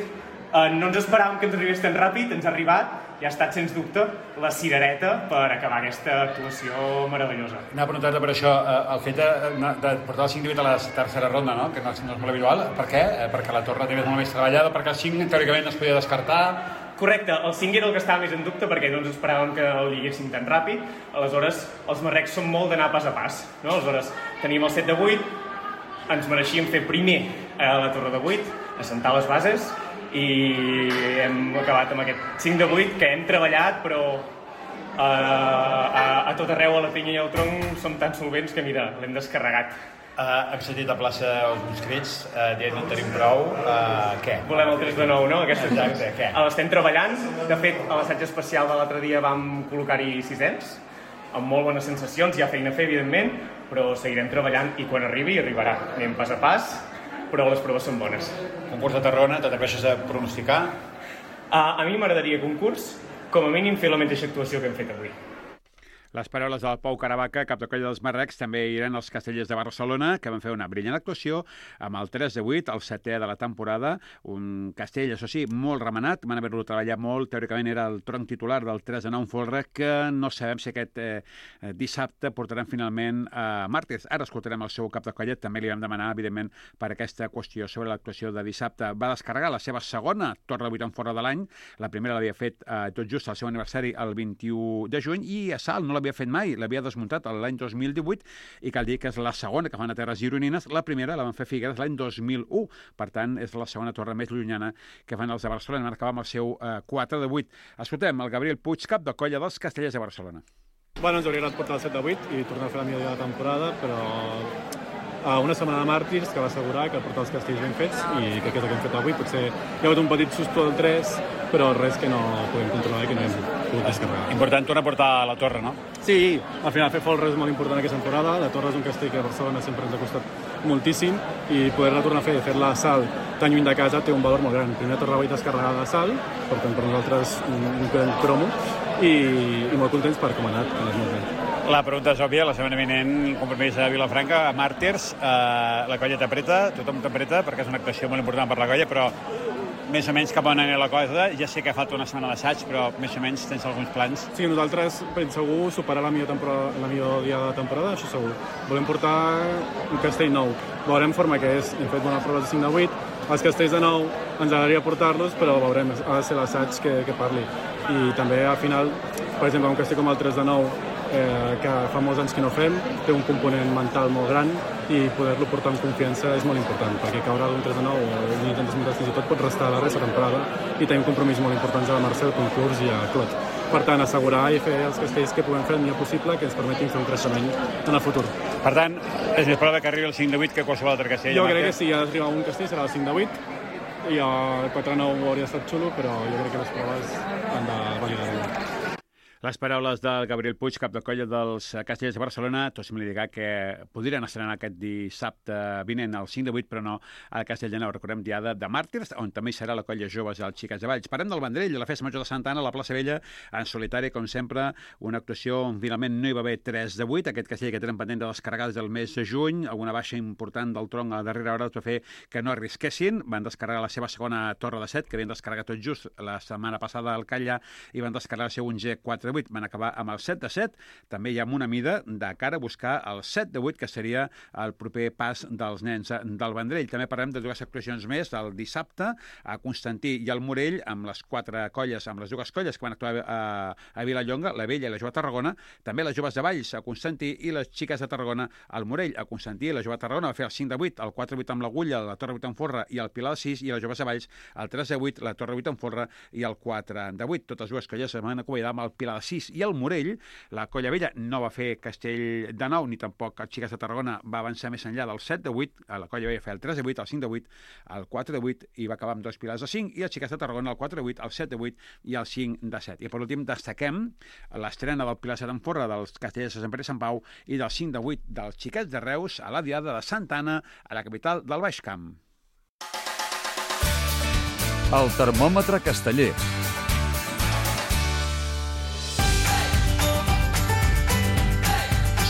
no ens esperàvem que ens arribés tan ràpid, ens ha arribat i ha estat, sens dubte, la cirereta per acabar aquesta actuació meravellosa. Anava a preguntar-te per això, el fet de portar el 5 de 8 a la tercera ronda, no? Que no és molt habitual, per què? Perquè la torre també és molt més treballada, perquè el 5 teòricament no es podia descartar, Correcte, el 5 era el que estava més en dubte perquè no ens esperàvem que el lliguéssim tan ràpid. Aleshores, els marrecs són molt d'anar pas a pas. No? Aleshores, tenim el 7 de 8, ens mereixíem fer primer a la torre de 8, assentar les bases, i hem acabat amb aquest 5 de 8 que hem treballat, però a tot arreu, a la pinya i al tronc, som tan solvents que, mira, l'hem descarregat. Hem sentit a plaça uns crits dient no en tenim prou. Què? Volem el 3 de 9, no? Exacte, què? L'estem treballant. De fet, a l'assaig especial de l'altre dia vam col·locar-hi 600, amb molt bones sensacions. Hi ha feina a fer, evidentment, però seguirem treballant i quan arribi, arribarà. Anem pas a pas, però les proves són bones. Concurs de Tarragona, t'atreveixes a pronosticar? A mi m'agradaria concurs, com a mínim fer la mateixa actuació que hem fet avui. Les paraules del Pau Caravaca, cap de colla dels marrecs, també eren els castellers de Barcelona, que van fer una brillant actuació amb el 3 de 8, el 7è de la temporada, un castell, això sí, molt remenat, van haver-lo treballat molt, teòricament era el tronc titular del 3 de 9 folre, que no sabem si aquest dissabte portaran finalment a Màrtirs. Ara escoltarem el seu cap de colla, també li vam demanar, evidentment, per aquesta qüestió sobre l'actuació de dissabte. Va descarregar la seva segona torre de 8 en folre de l'any, la primera l'havia fet tot just al seu aniversari el 21 de juny, i a Salt no l'havia fet mai, l'havia desmuntat l'any 2018 i cal dir que és la segona que fan a terres gironines, la primera la van fer Figueres l'any 2001, per tant és la segona torre més llunyana que fan els de Barcelona, van acabar amb el seu 4 de 8. Escoltem el Gabriel Puig, cap de colla dels castellers de Barcelona. Bueno, ens hauria agradat portar el 7 de 8 i tornar a fer la millor dia de la temporada, però una setmana de màrtirs que va assegurar que portar els castells ben fets i que és el que hem fet avui. Potser hi ha hagut un petit susto del 3, però res que no podem controlar i que no hem pogut descarregar. Important tornar a portar a la torre, no? Sí, al final fer folre és molt important aquesta temporada. La torre és un castell que a Barcelona sempre ens ha costat moltíssim i poder-la tornar a fer, fer-la a Salt tan lluny de casa té un valor molt gran. Primera torre 8 descarregada a Salt, per tant per nosaltres un gran cromo i molt contents per com ha anat, que és molt bé. La pregunta és òbvia, la setmana vinent compromís a Vilafranca, a Màrtirs, la colla t'apreta, tothom t'apreta perquè és una actuació molt important per la colla, però més o menys cap on anirà la cosa. Ja sé que falta una setmana d'assaig, però més o menys tens alguns plans. Sí, nosaltres ben segur superar la millor dia de la temporada, això segur. Volem portar un castell nou. Veurem forma que és, hem fet bona prova de 5 de 8, els castells de 9 ens agradaria portar-los, però veurem, ha de ser l'assaig que parli. I també al final, per exemple, un castell com el 3 de 9, que fa molts anys que no fem, té un component mental molt gran i poder-lo portar amb confiança és molt important, perquè caure d'un 3 de 9 o d'un intent desmuntat fins i tot pot restar a la resta de temporada i tenim compromisos molt importants a la Mercè, al concurs i a Clot. Per tant, assegurar i fer els castells que puguem fer el millor possible que ens permetin fer un creixement en el futur. Per tant, és més probable que arribi el 5 de 8 que qualsevol altre castell. Jo crec que si ha d'arribar un castell serà el 5 de 8 i el 4 de 9 hauria estat xulo, però jo crec que les proves han de validar-ho. Les paraules del Gabriel Puig, cap de colla dels castellers de Barcelona, tots me li dirà que podrien estrenar aquest dissabte vinent al 5 de 8, però no al Castell de Nou. Recordem diada de Màrtirs, on també hi serà la colla joves dels Xiquets de Valls. Parem del Vendrell, de la Festa Major de Santa Anna, a la plaça Vella, en solitari, com sempre, una actuació on finalment no hi va haver 3 de 8, aquest castell que tenen pendent de descarregar des del mes de juny, alguna baixa important del tronc a la darrera hora va fer que no arrisquessin, van descarregar la seva segona torre de 7, que havien descarregat tot just la setmana passada al Calla, i van descarregar el seu 1G 4 de 8, van acabar amb el 7 de 7, també hi ha una mida de cara a buscar el 7 de 8, que seria el proper pas dels nens del Vendrell. També parlem de dues actuacions més, el dissabte a Constantí i al Morell, amb les quatre colles, amb les dues colles que van actuar a Vilallonga, la Vella i la Jove Tarragona, també les joves de Valls a Constantí i les xiques de Tarragona al Morell. A Constantí la Jove Tarragona va fer el 5 de 8, el 4 de 8 amb l'Agulla, la Torre 8 en Forra i el Pilar 6, i les joves de Valls el 3 de 8, la Torre 8 en Forra i el 4 de 8. Totes dues colles es van acomiadar amb el Pilar 6 i el Morell. La colla vella no va fer Castell de Nou, ni tampoc el Xiques de Tarragona va avançar més enllà del 7 de 8, la colla vella va fer el 3 de 8, el 5 de 8, el 4 de 8 i va acabar amb dos pilars de 5, i el Xiques de Tarragona el 4 de 8, el 7 de 8 i el 5 de 7. I per últim destaquem l'estrena del Pilar 7 en Forra dels Castellers de Sant Pere i Sant Pau i del 5 de 8 dels Xiquets de Reus a la Diada de Santa Anna, a la capital del Baix Camp. El termòmetre casteller.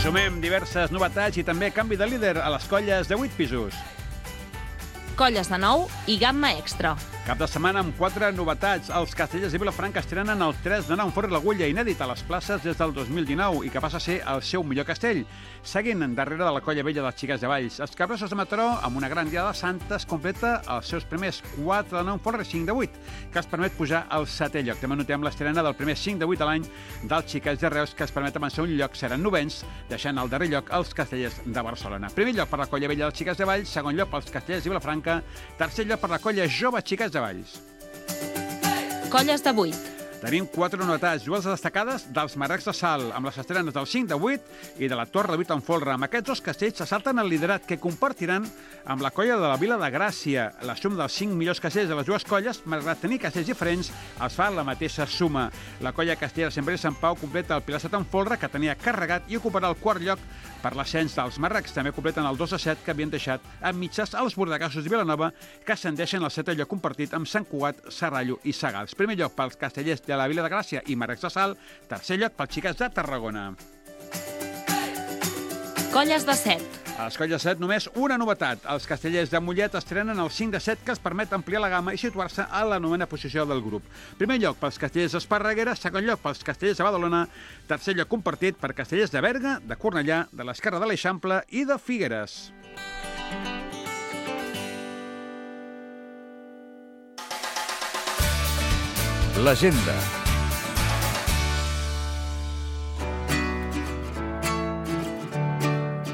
Sumem diverses novetats i també canvi de líder a les colles de 8 pisos. colles de nou i gamma extra. Cap de setmana amb 4 novetats. Els Castellers de Vilafranca estrenen el 3 de 9 amb Forri l'Agulla, inèdit a les places des del 2019 i que passa a ser el seu millor castell. Seguint darrere de la colla vella dels Xiquets de Valls. Els Capgrossos de Mataró, amb una gran diada de Santes, completa els seus primers 4 de 9 amb Forri 5 de 8, que els permet pujar al 7è lloc. També notem l'estrena del primer 5 de 8 de l'any dels Xiquets de Reus, que es permet avançar un lloc, seran novens, deixant al darrer lloc els Castellers de Barcelona. Primer lloc per la colla vella dels Xiquets de Valls, segon lloc pels Castellers de Vilafranca, tercer lloc per la colla jove Xiquets de Valls. Colles de 8. Tenim 4 novetats, dues destacades dels Marrecs de Salt, amb les estrenes del 5 de 8 i de la Torre de 8 en folre. Amb aquests dos castells s'assalten el liderat que compartiran amb la colla de la Vila de Gràcia. La suma dels 5 millors castells de les dues colles, malgrat tenir castells diferents, els fa la mateixa suma. La colla castellera Sant Pere i Sant Pau completa el Pilar 7 en folre, que tenia carregat, i ocuparà el quart lloc per l'ascens dels Marrecs. També completen el 2 de 7, que havien deixat amb mitges els Bordegassos de Vilanova, que ascendeixen al 7è lloc compartit amb Sant Cugat, Serrallo i Sagals. Primer lloc pels castellers de la Vila de Gràcia i Marrecs de Salt, tercer lloc pels Xiquets de Tarragona. Colles de 7. A les colles de 7 només una novetat. Els castellers de Mollet estrenen el 5 de 7, que els permet ampliar la gamma i situar-se a la 9a posició del grup. Primer lloc pels castellers d'Esparreguera, segon lloc pels castellers de Badalona, tercer lloc compartit per castellers de Berga, de Cornellà, de l'Esquerra de l'Eixample i de Figueres. L'agenda.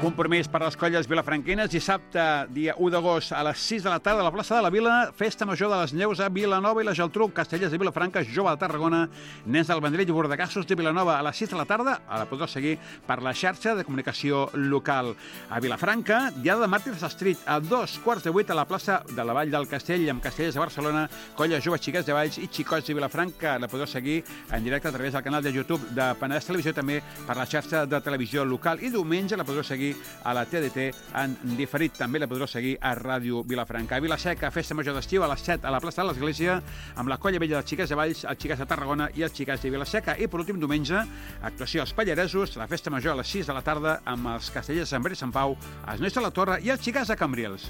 Compromís per les colles vilafranquines. Dissabte, dia 1 d'agost, a les 6 de la tarda, a la plaça de la Vila, Festa Major de les Neus a Vilanova i la Geltrú, Castellers de Vilafranca, Jove de Tarragona, Nens del Vendrell i Bordegassos de Vilanova. A les 6 de la tarda, la podreu seguir per la xarxa de comunicació local. A Vilafranca, Diada de Màrtirs Street, a 2:15 a la plaça de la Vall del Castell, amb Castellers de Barcelona, Colla Jove Xiquets de Valls i Xicots de Vilafranca. La podeu seguir en directe a través del canal de YouTube de Penedès Televisió, també per la xarxa de televisió local. I diumenge la podeu seguir a la TDT en diferit. També la podreu seguir a Ràdio Vilafranca. A Vilaseca, Festa Major d'Estiu, a les 7 a la plaça de l'Església, amb la colla vella dels Xiquets de Valls, els Xiquets de Tarragona i els Xiquets de Vilaseca. I per últim diumenge, actuació als Pallaresos, la Festa Major a les 6 de la tarda, amb els Castellers de Sant Pere i Sant Pau, els Nois de la Torre i els Xiquets de Cambrils.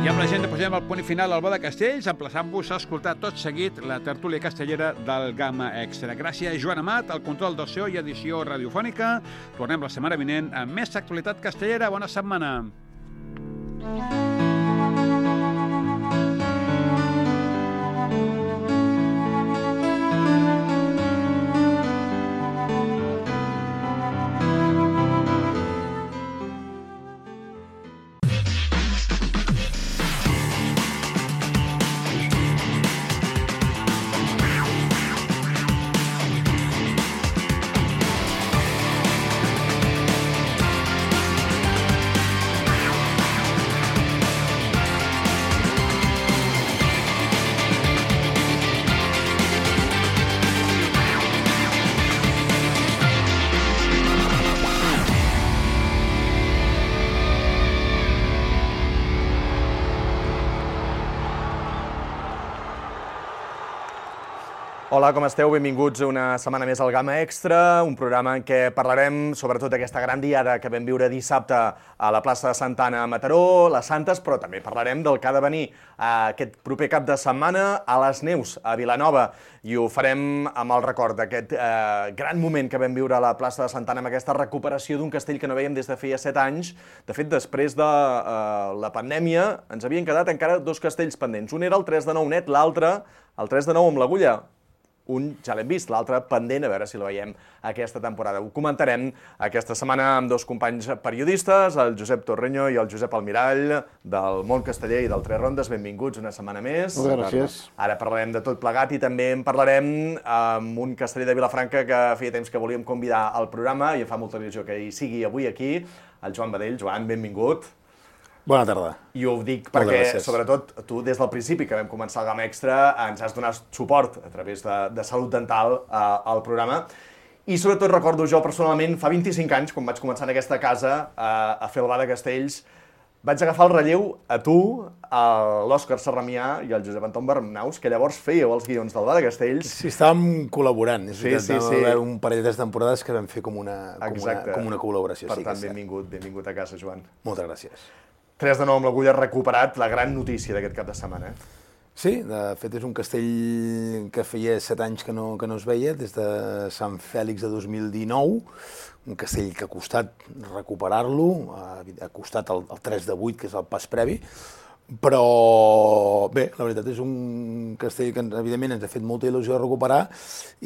I amb l'agenda posem el punt final al Bo de Castells, emplaçant-vos a escoltar tot seguit la tertúlia castellera del Gamma Extra. Gràcies, Joan Amat, al control del so i edició radiofònica. Tornem la setmana vinent amb més actualitat castellera. Bona setmana. Hola, com esteu? Benvinguts una setmana més al Gamma Extra, un programa en què parlarem sobretot d'aquesta gran diada que vam viure dissabte a la plaça de Santa Anna a Mataró, les Santes, però també parlarem del que ha de venir aquest proper cap de setmana a les Neus, a Vilanova, i ho farem amb el record d'aquest gran moment que vam viure a la plaça de Santa Anna, amb aquesta recuperació d'un castell que no veiem des de feia 7 anys. De fet, després de la pandèmia, ens havien quedat encara 2 castells pendents. Un era el 3 de 9 net, l'altre, el 3 de 9 amb l'Agulla. Un ja l'hem vist, l'altre pendent, a veure si el veiem aquesta temporada. Ho comentarem aquesta setmana amb 2 companys periodistes, el Josep Torreño i el Josep Almirall, del món casteller i del Tres Rondes. Benvinguts una setmana més. Moltes gràcies. Ara parlarem de tot plegat i també en parlarem amb un casteller de Vilafranca que feia temps que volíem convidar al programa i em fa molta il·lusió que hi sigui avui aquí, el Joan Badell. Joan, benvingut. Bona tarda. I ho dic perquè, sobretot, tu des del principi que vam començar el Gamma Extra ens has donat suport a través de Salut Dental al programa. I sobretot recordo jo personalment, fa 25 anys, quan vaig començar en aquesta casa a fer el Ba de Castells, vaig agafar el relleu a tu, a l'Òscar Serramià i al Josep Anton Bernabéus, que llavors fèieu els guions del Va de Castells. Sí, estàvem col·laborant. Sí. Va haver un parell de temporades que vam fer com una col·laboració. Per tant, benvingut a casa, Joan. Moltes gràcies. 3 de 9 amb l'Agulla recuperat, la gran notícia d'aquest cap de setmana. Sí, de fet és un castell que feia 7 anys que no es veia, des de Sant Fèlix de 2019, un castell que ha costat recuperar-lo, ha costat el 3 de 8, que és el pas previ, però bé, la veritat és un castell que evidentment ens ha fet molta il·lusió de recuperar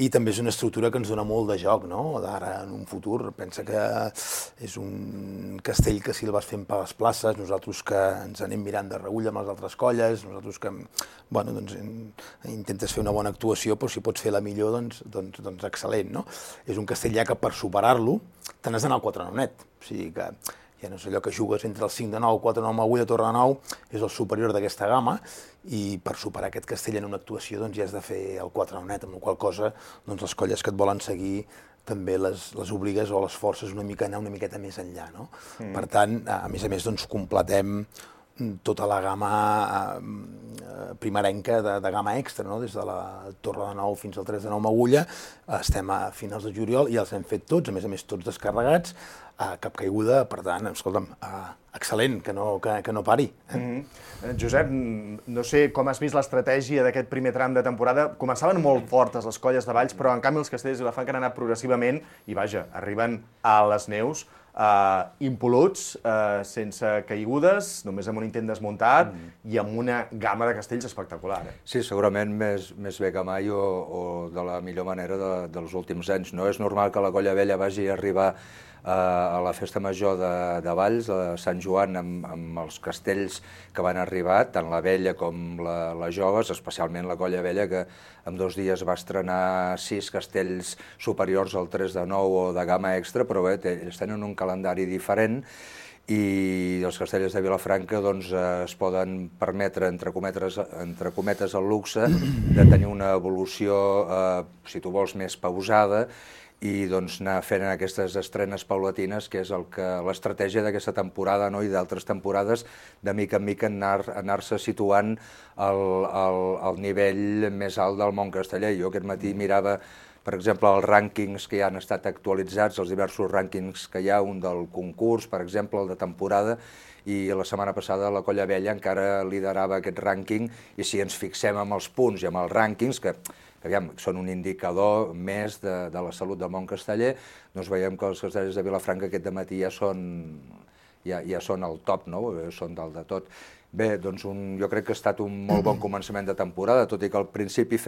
i també és una estructura que ens dona molt de joc, no? D'ara en un futur. Pensa que és un castell que si el vas fent per les places, nosaltres que ens anem mirant de reüll amb les altres colles, nosaltres que intentes fer una bona actuació, però si pots fer la millor, doncs excel·lent, no? És un castell ja que per superar-lo te n'has d'anar al 4-9 net, o sigui que ja no és allò que jugues entre el 5 de 9, 4 de 9, Agulla, Torre de 9, és el superior d'aquesta gamma, i per superar aquest castell en una actuació doncs ja has de fer el 4 de 9 net, amb la qual cosa doncs les colles que et volen seguir també les obligues o les forces una miqueta més enllà, no? Per tant, a més, doncs completem tota la gamma primerenca de gamma extra, no? Des de la Torre de 9 fins al 3 de 9 Agulla, estem a finals de juliol i els hem fet tots, a més tots descarregats, cap caiguda, per tant, escolta'm, excel·lent, que no pari. Josep, no sé com has vist l'estratègia d'aquest primer tram de temporada. Començaven molt fortes les colles de Valls, però en canvi els castells de Vilafranca han anat progressivament i, vaja, arriben a les neus impoluts, sense caigudes, només amb un intent desmuntat i amb una gamma de castells espectacular. Sí, segurament més bé que mai o de la millor manera dels últims anys. No és normal que la Colla Vella vagi a arribar a la festa major de Valls, de Sant Joan, amb els castells que van arribar, tant la vella com la joves, especialment la Colla Vella, que en 2 dies va estrenar 6 castells superiors al 3 de 9 o de gamma extra, però bé, ells tenen un calendari diferent i els castells de Vilafranca doncs, es poden permetre, entre cometes, el luxe de tenir una evolució, si tu vols, més pausada, i doncs anar fent aquestes estrenes paulatines, que és l'estratègia d'aquesta temporada, no? I d'altres temporades, de mica en mica anar-se situant al nivell més alt del món casteller. Jo aquest matí mirava, per exemple, els rànquings que ja han estat actualitzats, els diversos rànquings que hi ha, un del concurs, per exemple, el de temporada, i la setmana passada la Colla Vella encara liderava aquest rànquing, i si ens fixem amb els punts i amb els rànquings, que són un indicador més de la salut del món casteller, doncs veiem que els castellers de Vilafranca aquest dematí ja són al top, no? Són dalt de tot. Bé, doncs jo crec que ha estat un molt bon començament de temporada, tot i que al principi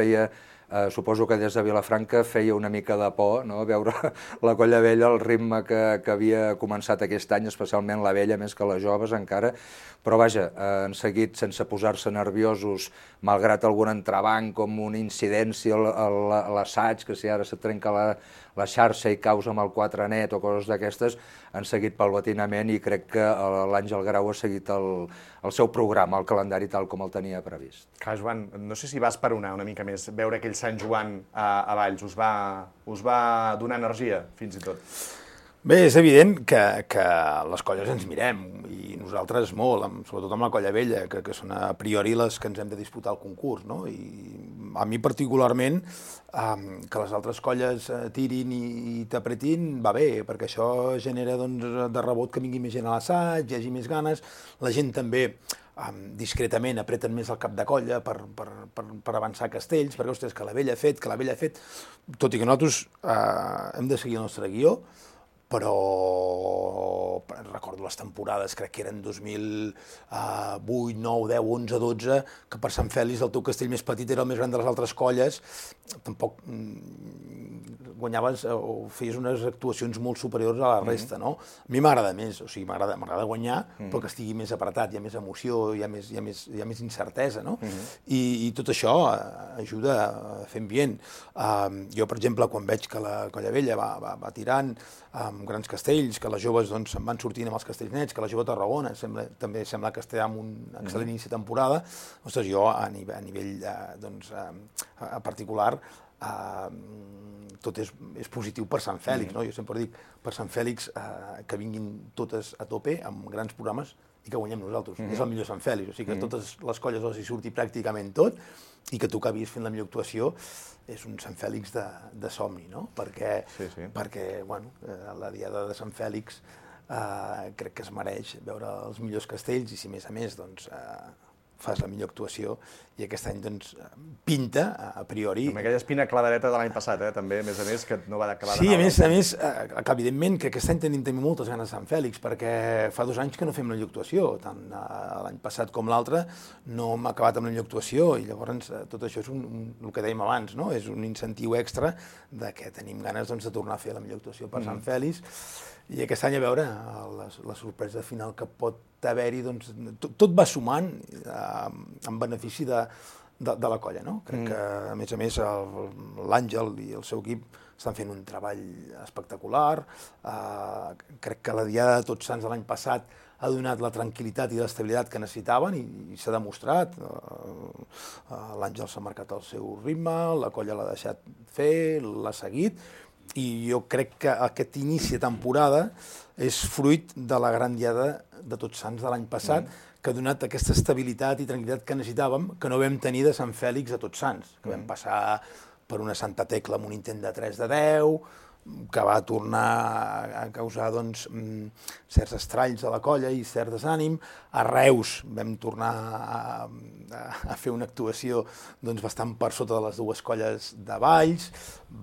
suposo que des de Vilafranca feia una mica de por, no? Veure la Colla Vella, el ritme que havia començat aquest any, especialment la vella, més que les joves encara, però vaja, han seguit sense posar-se nerviosos, malgrat algun entrebanc, com una incidència a l'assaig, que si ara se trenca la xarxa i causa amb el 4 net o coses d'aquestes, han seguit paulatinament i crec que l'Àngel Grau ha seguit el seu programa, el calendari tal com el tenia previst. Clar, Joan, no sé si va esperonar una mica més veure aquell Sant Joan a Valls, us va donar energia, fins i tot? Bé, és evident que les colles ens mirem, i nosaltres molt, sobretot amb la Colla Vella, que són a priori les que ens hem de disputar el concurs, no? I a mi particularment, que les altres colles tirin i t'apretin, va bé, perquè això genera de rebot que vingui més gent a l'assaig, hi hagi més ganes, la gent també discretament apreten més el cap de colla per avançar castells, perquè, ostres, que la vella ha fet, tot i que nosaltres hem de seguir el nostre guió, però recordo les temporades, crec que eren 2008, 9, 10, 11, 12, que per Sant Fèlix el teu castell més petit era el més gran de les altres colles, tampoc guanyaves o feies unes actuacions molt superiors a la resta, no? A mi m'agrada més, o sigui, m'agrada guanyar, però que estigui més apretat, hi ha més emoció, hi ha més incertesa, no? I tot això ajuda a fer ambient. Jo, per exemple, quan veig que la Colla Vella va tirant amb grans castells, que les joves se'n van sortint amb els castells nets, que la jove Tarragona també sembla que està amb un excel·lent inici de temporada, ostres, jo a nivell particular tot és positiu per Sant Fèlix, no? Jo sempre dic, per Sant Fèlix, que vinguin totes a tope, amb grans programes, i que guanyem nosaltres. És el millor Sant Fèlix, o sigui que totes les colles els hi surti pràcticament tot i que tu acabis fent la millor actuació és un Sant Fèlix de somni, no? Perquè, bueno, la diada de Sant Fèlix crec que es mereix veure els millors castells i si a més doncs fas la millor actuació i aquest any doncs pinta a priori. Amb aquella espina clavareta de l'any passat, també, a més, que no va acabar Sí, a més, evidentment que aquest any tenim moltes ganes de Sant Fèlix perquè fa 2 anys que no fem la millor actuació, tant l'any passat com l'altre no hem acabat amb la millor actuació i llavors tot això és el que dèiem abans, no? És un incentiu extra de que tenim ganes de tornar a fer la millor actuació per Sant Fèlix i aquest any a veure la sorpresa final que pot haver-hi, doncs tot va sumant en benefici de la colla, no? Crec que, a més, l'Àngel i el seu equip estan fent un treball espectacular. Crec que la diada de Tots Sants de l'any passat ha donat la tranquil·litat i l'estabilitat que necessitaven i s'ha demostrat. L'Àngel s'ha marcat el seu ritme, la colla l'ha deixat fer, l'ha seguit, i jo crec que aquest inici de temporada és fruit de la gran diada de Tots Sants de l'any passat, que ha donat aquesta estabilitat i tranquil·litat que necessitàvem, que no vam tenir de Sant Fèlix a Tots Sants, que vam passar per una Santa Tecla amb un intent de 3 de 10, que va tornar a causar certs estralls a la colla i cert desànim. A Reus vam tornar a fer una actuació bastant per sota de les dues colles de Valls,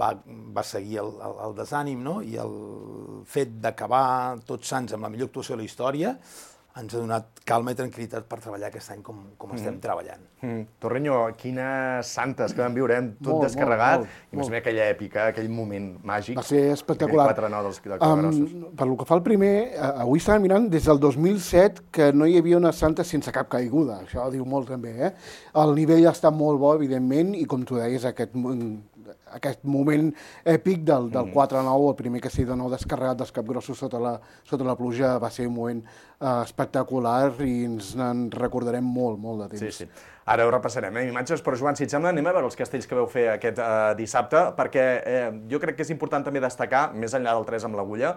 va seguir el desànim, no? I el fet d'acabar Tots Sants amb la millor actuació de la història ens ha donat calma i tranquil·litat per treballar aquest any com estem treballant. Torreño, quines santes que vam viure, tot descarregat, i més aquella èpica, aquell moment màgic. Va ser espectacular. Aquell 4-9 dels Cabrossos. Per lo que fa el primer, avui estàvem mirant des del 2007 que no hi havia una santa sense cap caiguda, això diu molt també, El nivell està molt bo, evidentment, i com tu deies, aquest moment èpic del 4-9, el primer castell de nou descarregat dels Capgrossos sota la pluja, va ser un moment espectacular i ens en recordarem molt de temps. Sí. Ara ho repassarem, imatges, però Joan, si et sembla, anem a veure els castells que vau fer aquest dissabte, perquè jo crec que és important també destacar, més enllà del 3 amb l'agulla,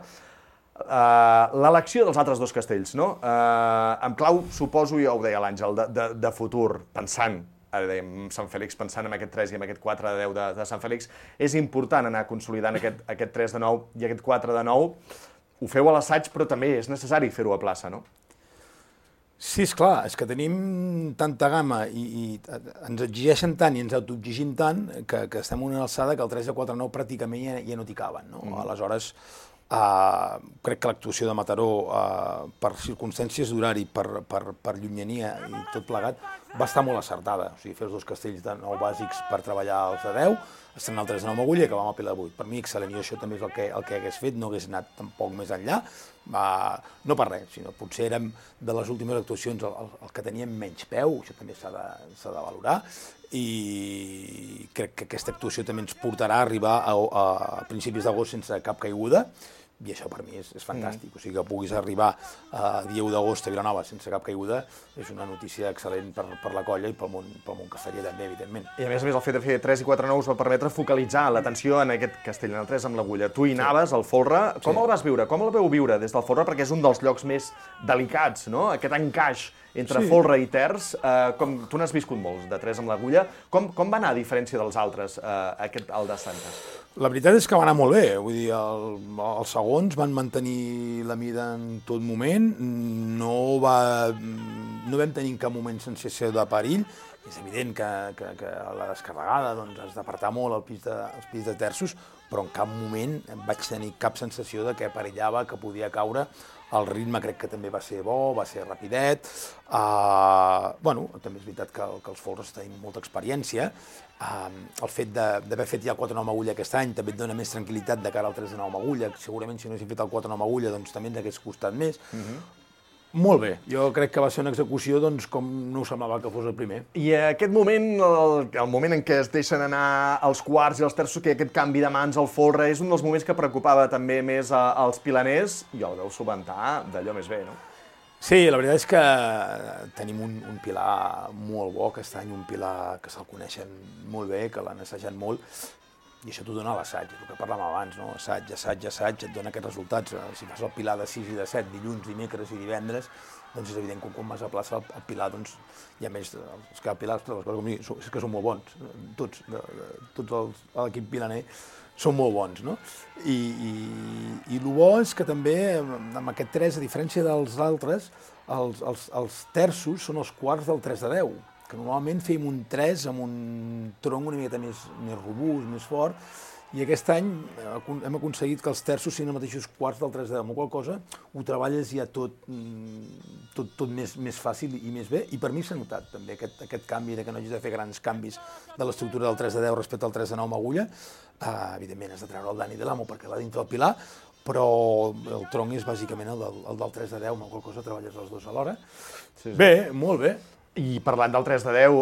l'elecció dels altres 2 castells, no? En clau, suposo, ja ho deia l'Àngel, de futur, pensant, ara dèiem Sant Fèlix, pensant en aquest 3 i en aquest 4 de 10 de Sant Fèlix, és important anar consolidant aquest 3 de 9 i aquest 4 de 9. Ho feu a l'assaig, però també és necessari fer-ho a plaça, no? Sí, esclar, és que tenim tanta gamma i ens exigeixen tant i ens autoexigim tant que estem en una alçada que el 3 de 4 9 pràcticament ja no t'hi caben, no? Aleshores, crec que l'actuació de Mataró, per circumstàncies d'horari, per llunyania i tot plegat, va estar molt acertada. O sigui, fer els 2 castells de 9 bàsics per treballar els de 10, estrenar el 3 de 9 amb agulla i acabar amb el Pilar de 8. Per mi, excel·lent, i això també és el que hagués fet, no hagués anat tampoc més enllà, no per res, sinó potser érem de les últimes actuacions el que teníem menys peu, això també s'ha de valorar, i crec que aquesta actuació també ens portarà a arribar a principis d'agost sense cap caiguda, i això per mi és fantàstic. O sigui, que puguis arribar a dia 1 d'agost a Vilanova sense cap caiguda és una notícia excel·lent per la colla i pel món casteller també, evidentment. I a més, el fet de fer 3 i 4 9 us va permetre focalitzar l'atenció en aquest castell, en el 3 amb l'agulla. Tu hi anaves, al folre. Com el vas viure? Com el veu viure des del folre? Perquè és un dels llocs més delicats, no? Aquest encaix entre folre i terç. Tu n'has viscut molts, de 3 amb l'agulla. Com va anar, a diferència dels altres, el de Santes? La veritat és que va anar molt bé, vull dir, els segons van mantenir la mida en tot moment, no vam tenir en cap moment sensació de perill, és evident que la descarregada has d'apartar molt els pis de terços, però en cap moment vaig tenir cap sensació de que perillava, que podia caure. El ritme crec que també va ser bo, va ser rapidet. També és veritat que els folres tenim molta experiència. El fet d'haver fet ja el 4-9 amb agulla aquest any també et dona més tranquil·litat de cara al 3-9 amb agulla. Segurament si no haguéssim fet el 4-9 amb agulla doncs també ens hagués costat més. Molt bé, jo crec que va ser una execució com no us semblava que fos el primer. I aquest moment, el moment en què es deixen anar els quarts i els terços, que aquest canvi de mans al folre, és un dels moments que preocupava també més als pilaners, i el veu solventar d'allò més bé, no? Sí, la veritat és que tenim un pilar molt bo aquest any, un pilar que se'l coneixen molt bé, que l'han assajat molt, i això t'ho dona l'assaig, el que parlàvem abans, no? Assaig, et dona aquests resultats. Si fas el pilar de 6 i de 7, dilluns, dimecres i divendres, doncs és evident que quan vas a plaça el pilar, doncs hi ha més, els que pilars, és que són molt bons, tots l'equip pilaner són molt bons, no? I el bo és que també, amb aquest 3, a diferència dels altres, els terços són els quarts del 3 de 10, que normalment fèiem un 3 amb un tronc una miqueta més robust, més fort, i aquest any hem aconseguit que els terços siguin els mateixos quarts del 3 de 10, amb qual cosa ho treballes ja tot més fàcil i més bé, i per mi s'ha notat també aquest canvi, que no hagis de fer grans canvis de l'estructura del 3 de 10 respecte al 3 de 9 amb agulla. Evidentment has de treure el Dani de l'Amo perquè va dintre del pilar, però el tronc és bàsicament el del 3 de 10, amb qual cosa treballes els dos alhora. Bé, molt bé. I parlant del 3 de 10,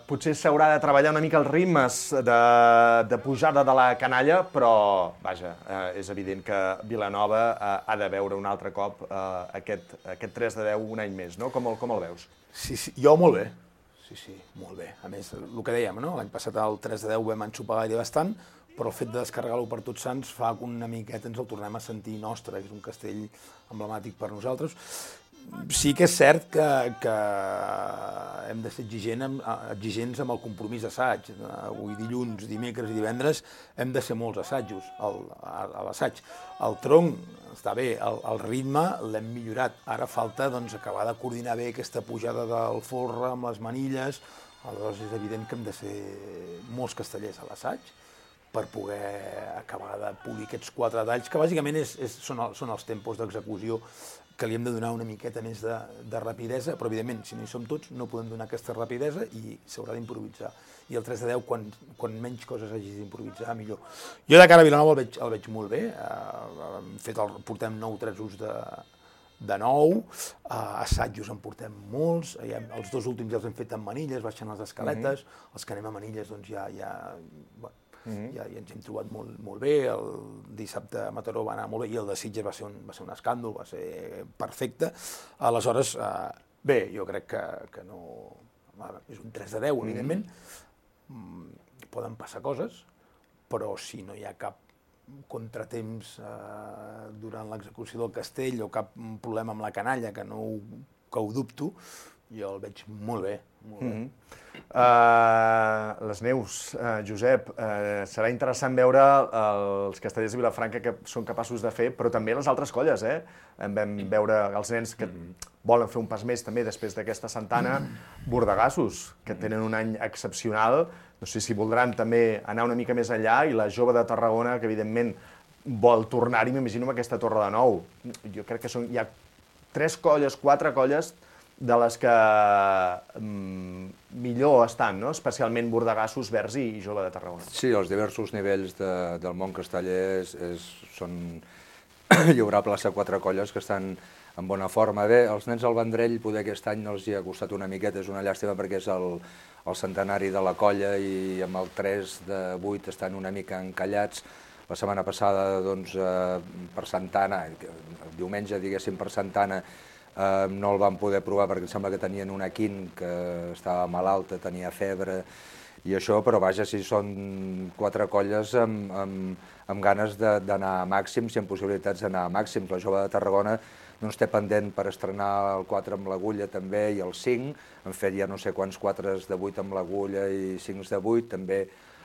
potser s'haurà de treballar una mica els ritmes de pujada de la canalla, però, vaja, és evident que Vilanova ha de veure un altre cop aquest 3 de 10 un any més, no? Com el veus? Sí, jo molt bé. Sí, molt bé. A més, el que dèiem, no? L'any passat el 3 de 10 vam enxupar gaire bastant, però el fet de descarregar-lo per Tots Sants fa que una miqueta ens el tornem a sentir nostre, que és un castell emblemàtic per nosaltres. Sí que és cert que hem de ser exigents amb el compromís d'assaig. Avui dilluns, dimecres i divendres hem de ser molts assajos a l'assaig. El tronc està bé, el ritme l'hem millorat. Ara falta acabar de coordinar bé aquesta pujada del folre amb les manilles. Aleshores és evident que hem de ser molts castellers a l'assaig per poder acabar de polir aquests 4 talls, que bàsicament són els tempos d'execució que li hem de donar una miqueta més de rapidesa, però evidentment, si no hi som tots, no podem donar aquesta rapidesa i s'haurà d'improvisar. I el 3 de 10, quan menys coses hagis d'improvisar, millor. Jo de cara a Vilanova el veig molt bé, portem 9 tresos de 9, assajos en portem molts, els 2 últims ja els hem fet amb manilles, baixant les escaletes, els que anem a manilles doncs ja ens hem trobat molt bé, el dissabte a Mataró va anar molt bé i el de Sitges va ser un escàndol, va ser perfecte. Aleshores, bé, jo crec que no... És un 3 de 10, evidentment, poden passar coses, però si no hi ha cap contratemps durant l'execució del castell o cap problema amb la canalla, que ho dubto, jo el veig molt bé. Les neus, Josep, serà interessant veure els castellers de Vilafranca que són capaços de fer, però també les altres colles, Vam veure els nens que volen fer un pas més també després d'aquesta Santana, bordegassos, que tenen un any excepcional, no sé si voldran també anar una mica més enllà, i la jove de Tarragona, que evidentment vol tornar-hi, m'imagino, amb aquesta Torre de Nou. Jo crec que hi ha 3 colles, 4 colles de les que millor estan, no? Especialment Bordegassos, Verds i Jove de Tarragona. Sí, els diversos nivells del món casteller són... Hi haurà plaça 4 colles que estan en bona forma. Bé, els nens al Vendrell poder aquest any no els hi ha costat una miqueta, és una llàstima perquè és el centenari de la colla i amb el 3 de 8 estan una mica encallats. La setmana passada, doncs, per Santana, el diumenge, diguéssim, per Santana, no el van poder provar perquè em sembla que tenien una quint que estava malalta, tenia febre i això, però vaja, si són 4 colles amb ganes d'anar a màxims i amb possibilitats d'anar a màxims. La Jove de Tarragona doncs, té pendent per estrenar el 4 amb l'agulla també i el 5, han fet ja no sé quants 4s de 8 amb l'agulla i 5s de 8, també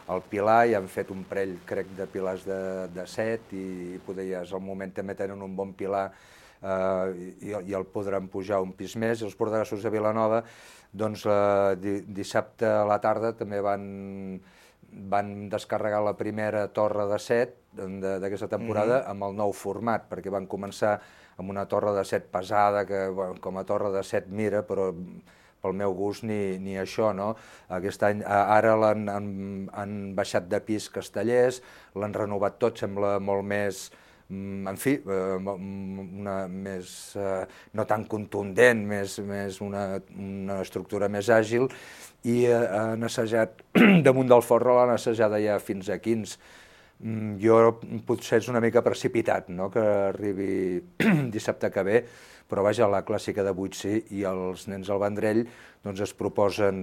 el Pilar, i han fet un parell, crec, de pilars de 7 i poder ja és el moment, també tenen un bon pilar i el podran pujar un pis més. I els bordegassos de Vilanova, doncs dissabte a la tarda també van descarregar la primera torre de 7 d'aquesta temporada amb el nou format, perquè van començar amb una torre de 7 pesada, que com a torre de 7 mira, però pel meu gust ni això, no? Aquest any, ara han baixat de pis castellers, l'han renovat tot, sembla molt més, en fi, no tan contundent, més una estructura més àgil, i han assajat, damunt del forro l'han assajada ja fins a 15. Jo potser és una mica precipitat, no?, que arribi dissabte que ve, però vaja, la clàssica de 8 sí, i els nens al Vendrell doncs es proposen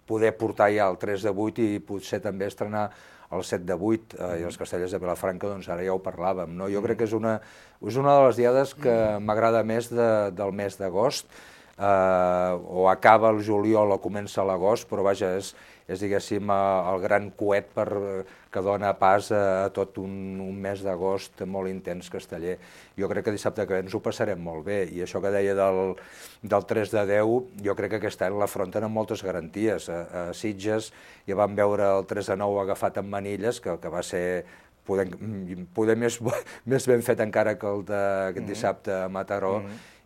poder portar ja el 3 de 8 i potser també estrenar el 7 de 8 i els Castellers de Vilafranca, doncs ara ja ho parlàvem, no? Jo crec que és una de les diades que m'agrada més del mes d'agost, o acaba el juliol o comença l'agost, però vaja, és diguéssim el gran coet que dona pas a tot un mes d'agost molt intens casteller. Jo crec que dissabte que ens ho passarem molt bé, i això que deia del 3 de 10, jo crec que aquest any l'afronten amb moltes garanties. A Sitges ja vam veure el 3 de 9 agafat amb manilles, que va ser poder més ben fet encara que el d'aquest dissabte a Mataró,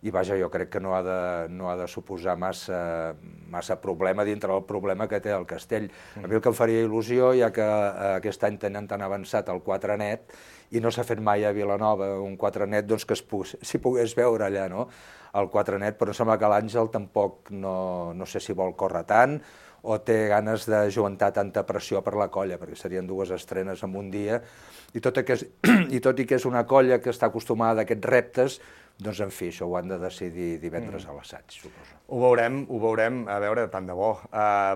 i vaja, jo crec que no ha de suposar massa problema dintre del problema que té el Castell. A mi el que em faria il·lusió, ja que aquest any tenen tan avançat el 4 net, i no s'ha fet mai a Vilanova un 4 net, doncs que s'hi pogués veure allà, no?, el 4 net, però sembla que l'Àngel tampoc no sé si vol córrer tant, o té ganes de aguantar tanta pressió per la colla, perquè serien 2 estrenes en un dia, i tot i que és una colla que està acostumada a aquests reptes, doncs, en fi, això ho han de decidir divendres a l'assaig, suposo. Ho veurem, a veure, tant de bo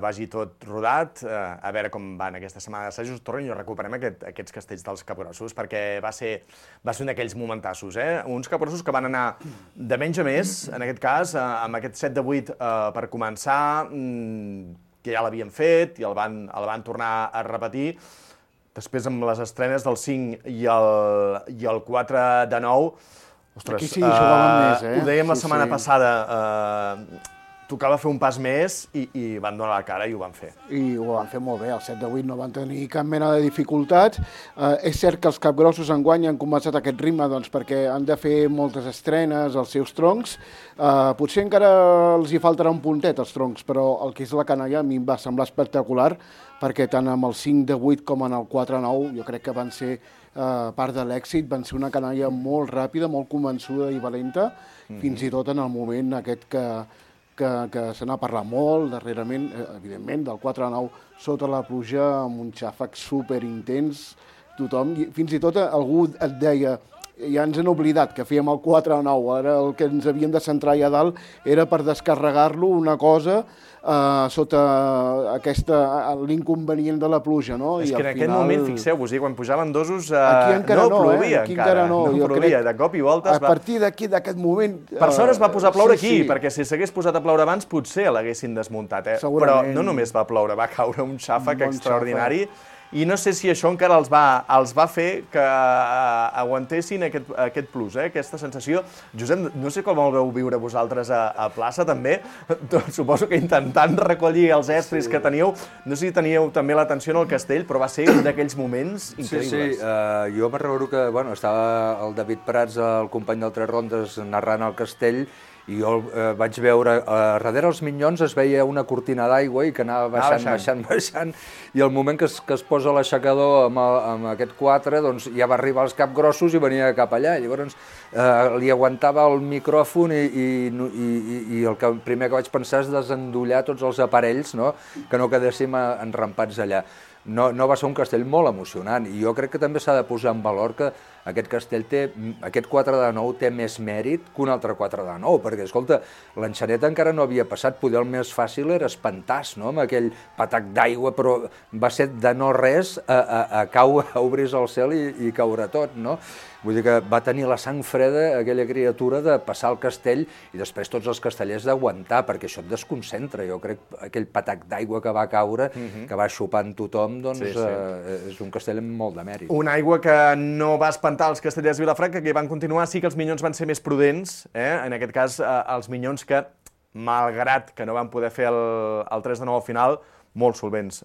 vagi tot rodat, a veure com van aquesta setmana d'assajos. Torren i recuperem aquests castells dels capgrossos, perquè va ser un d'aquells momentassos, uns capgrossos que van anar de menys a més, en aquest cas, amb aquest 7 de 8 per començar, que ja l'havien fet i el van tornar a repetir. Després, amb les estrenes del 5 i el 4 de 9, ostres, aquí sí jugaven més, ho dèiem la setmana passada, tocava fer un pas més i van donar la cara i ho van fer. I ho van fer molt bé, el 7 de 8 no van tenir cap mena de dificultats. És cert que els capgrossos enguany han començat aquest ritme perquè han de fer moltes estrenes als seus troncs. Potser encara els hi faltarà un puntet als troncs, però el que és la canalla a mi em va semblar espectacular, perquè tant amb el 5 de 8 com en el 4 de 9 jo crec que van ser part de l'èxit, van ser una canalla molt ràpida, molt convençuda i valenta, fins i tot en el moment aquest que se n'ha parlat molt darrerament, evidentment, del 4 a 9 sota la pluja, amb un xàfec superintens, tothom, fins i tot algú et deia, ja ens han oblidat que fèiem el 4 a 9, ara el que ens havíem de centrar allà dalt era per descarregar-lo una cosa sota l'inconvenient de la pluja, no? És que en aquest moment, fixeu-vos, quan pujaven dosos no plovia encara. No plovia, de cop i voltes. A partir d'aquest moment... Per sort es va posar a ploure aquí, perquè si s'hagués posat a ploure abans potser l'haguessin desmuntat, però no només va ploure, va caure un xàfec extraordinari. I no sé si això encara els va fer que aguantessin aquest plus, aquesta sensació. Josep, no sé com el veu viure vosaltres a plaça, també. Suposo que intentant recollir els estris que teníeu, no sé si teníeu també l'atenció en el castell, però va ser un d'aquells moments increïbles. Sí, jo me'n recordo que estava el David Prats, el company del Tres Rondes, narrant el castell, i jo vaig veure, darrere els minyons es veia una cortina d'aigua i que anava baixant, i al moment que es posa l'aixecador amb aquest 4, doncs ja va arribar als capgrossos i venia cap allà. Llavors li aguantava el micròfon i el primer que vaig pensar és desendollar tots els aparells, que no quedéssim enrampats allà. No va ser un castell molt emocionant, i jo crec que també s'ha de posar en valor que aquest castell aquest 4 de 9 té més mèrit que un altre 4 de 9, perquè, escolta, l'enxaneta encara no havia passat, poder el més fàcil era espantar-se, no?, amb aquell patac d'aigua, però va ser de no res a obrir-se el cel i caure tot, no? Vull dir que va tenir la sang freda aquella criatura de passar el castell i després tots els castellers d'aguantar, perquè això et desconcentra. Jo crec que aquell patac d'aigua que va caure, que va xupant tothom, doncs és un castell amb molt de mèrit. Una aigua que no va espantar els castellers de Vilafranca, que van continuar. Sí que els minyons van ser més prudents, en aquest cas els minyons que, malgrat que no van poder fer el 3 de 9 al final, molt solvents.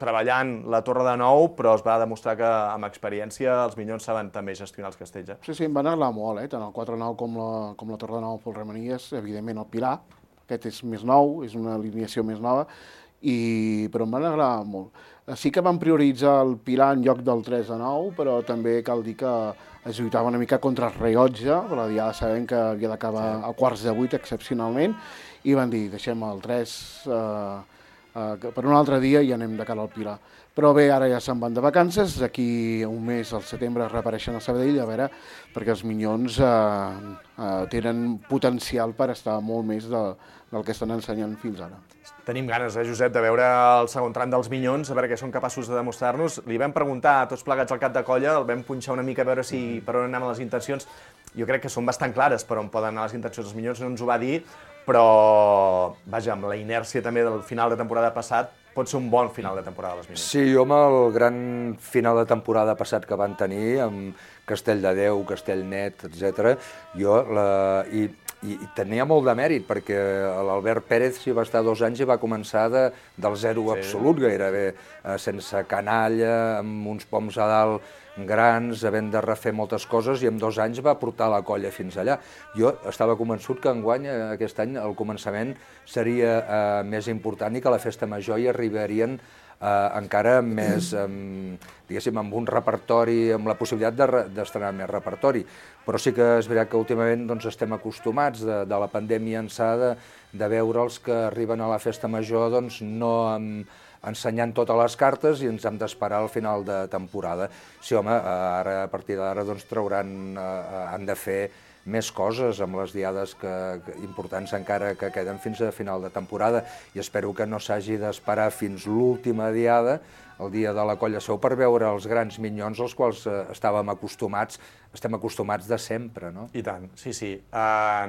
Treballant la torre de 9, però es va demostrar que amb experiència els minyons saben també gestionar els castells. Sí, em van agradar molt, tant el 4-9 com la torre de 9 pel Remenies, evidentment el Pilar, aquest és més nou, és una alineació més nova, però em van agradar molt. Sí que van prioritzar el Pilar en lloc del 3 de 9, però també cal dir que es lluitava una mica contra el rellotge, però ja sabem que havia d'acabar a quarts de 8 excepcionalment, i van dir, deixem el 3 per un altre dia i anem de cara al Pilar. Però bé, ara ja se'n van de vacances, d'aquí un mes, al setembre, reapareixen a Sabadell, a veure, perquè els Minyons tenen potencial per estar molt més del que estan ensenyant fins ara. Tenim ganes, Josep, de veure el segon tram dels Minyons, a veure què són capaços de demostrar-nos. Li vam preguntar a tots plegats al cap de colla, el vam punxar una mica a veure per on anaven les intencions. Jo crec que són bastant clares per on poden anar les intencions dels Minyons, no ens ho va dir, però, vaja, amb la inèrcia també del final de temporada passat, pot ser un bon final de temporada dels Minyons. Sí, jo amb el gran final de temporada passat que van tenir, amb Castell de Déu, Castellnet, etc., i tenia molt de mèrit, perquè l'Albert Pérez s'hi va estar 2 anys i va començar del zero absolut, gairebé, sense canalla, amb uns poms a dalt grans, havent de refer moltes coses, i en 2 anys va portar la colla fins allà. Jo estava convençut que enguany, aquest any, el començament seria més important i que a la festa major hi arribarien encara més, diguéssim, amb un repertori, amb la possibilitat d'estrenar més repertori. Però sí que és veritat que últimament estem acostumats de la pandèmia ençà de veure'ls que arriben a la festa major no ensenyant totes les cartes i ens hem d'esperar al final de temporada. Sí, home, ara, a partir d'ara han de fer més coses amb les diades importants encara que queden fins a final de temporada, i espero que no s'hagi d'esperar fins l'última diada, el dia de la Colla Seu, per veure els grans Minyons als quals estem acostumats de sempre, no? I tant, sí,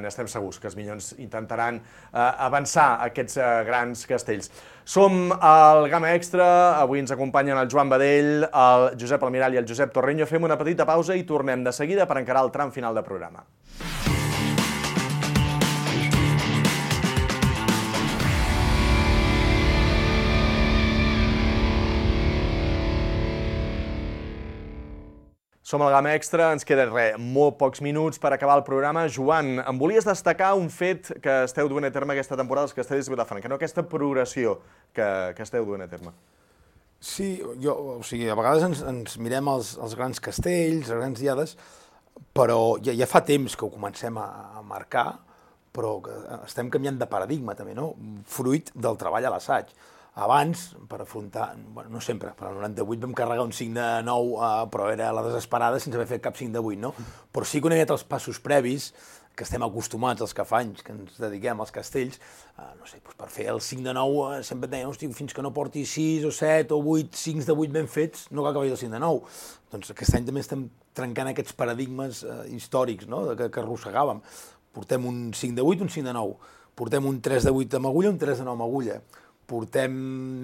n'estem segurs que els Minyons intentaran avançar aquests grans castells. Som al Gamma Extra, avui ens acompanyen el Joan Badell, el Josep Almirall i el Josep Torreño. Fem una petita pausa i tornem de seguida per encarar el tram final del programa. Som al Gamma Extra, ens queden molt pocs minuts per acabar el programa. Joan, em volies destacar un fet que esteu duent a terme aquesta temporada als Castells de Vilafranca, no? Aquesta progressió que esteu duent a terme. Sí, a vegades ens mirem els grans castells, les grans diades, però ja fa temps que ho comencem a marcar, però que estem canviant de paradigma també, no? Fruit del treball a l'assaig. Abans, per afrontar, no sempre, però al 98 vam carregar un 5 de 9, però era a la desesperada sense haver fet cap 5 de 8, no? Però sí que una miqueta els passos previs, que estem acostumats els que fa anys que ens dediquem als castells, no sé, per fer el 5 de 9 sempre et deien, hosti, fins que no porti 6 o 7 o 8 5 de 8 ben fets, no cal que vagi el 5 de 9. Doncs aquest any també estem trencant aquests paradigmes històrics, no?, que arrossegàvem. Portem un 5 de 8, un 5 de 9. Portem un 3 de 8 amb agulla, un 3 de 9 amb agulla. Portem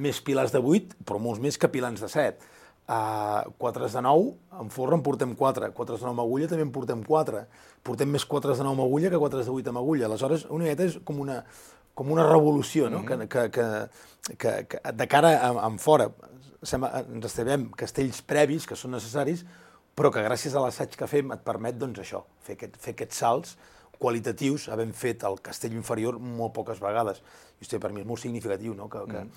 més pilars de 8, però molts més que pilans de 7. 4 de 9, en forra en portem 4. 4 de 9 amb agulla també en portem 4. Portem més 4 de 9 amb agulla que 4 de 8 amb agulla. Aleshores, una miqueta és com una revolució, no? Que de cara en fora ens estabem castells previs que són necessaris, però que gràcies a l'assaig que fem et permet, doncs, això, fer aquests salts qualitatius, havent fet el castell inferior molt poques vegades. I per mi és molt significatiu, no?, que quan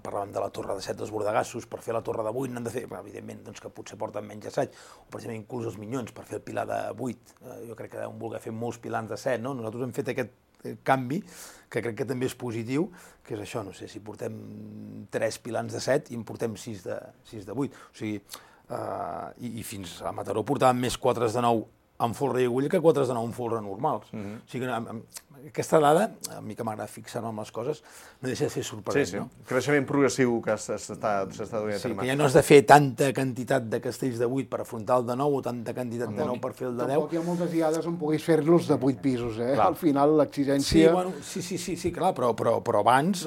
parlàvem de la torre de 7 dels Bordegassos, per fer la torre de 8 n'han de fer, evidentment, que potser porten menys assaig, o precisament inclús els Minyons, per fer el pilar de 8. Jo crec que deuen voler fer molts pilars de 7, no? Nosaltres hem fet aquest canvi, que crec que també és positiu, que és això, no sé, si portem 3 pilars de 7 i en portem 6 de 8. O sigui, i fins a Mataró portàvem més 4 de 9 amb folre i agulla que 4 de 9 amb folre normals. O sigui que aquesta dada, a mi que m'agrada fixar-me amb les coses, no deixa de ser sorprenent, no? Creixement progressiu que s'està duent a terme. Sí, que ja no has de fer tanta quantitat de castells de 8 per afrontar el de 9 o tanta quantitat de 9 per fer el de 10. Tampoc hi ha moltes diades on puguis fer-los de 8 pisos, eh? Al final l'exigència... Sí, clar, però abans,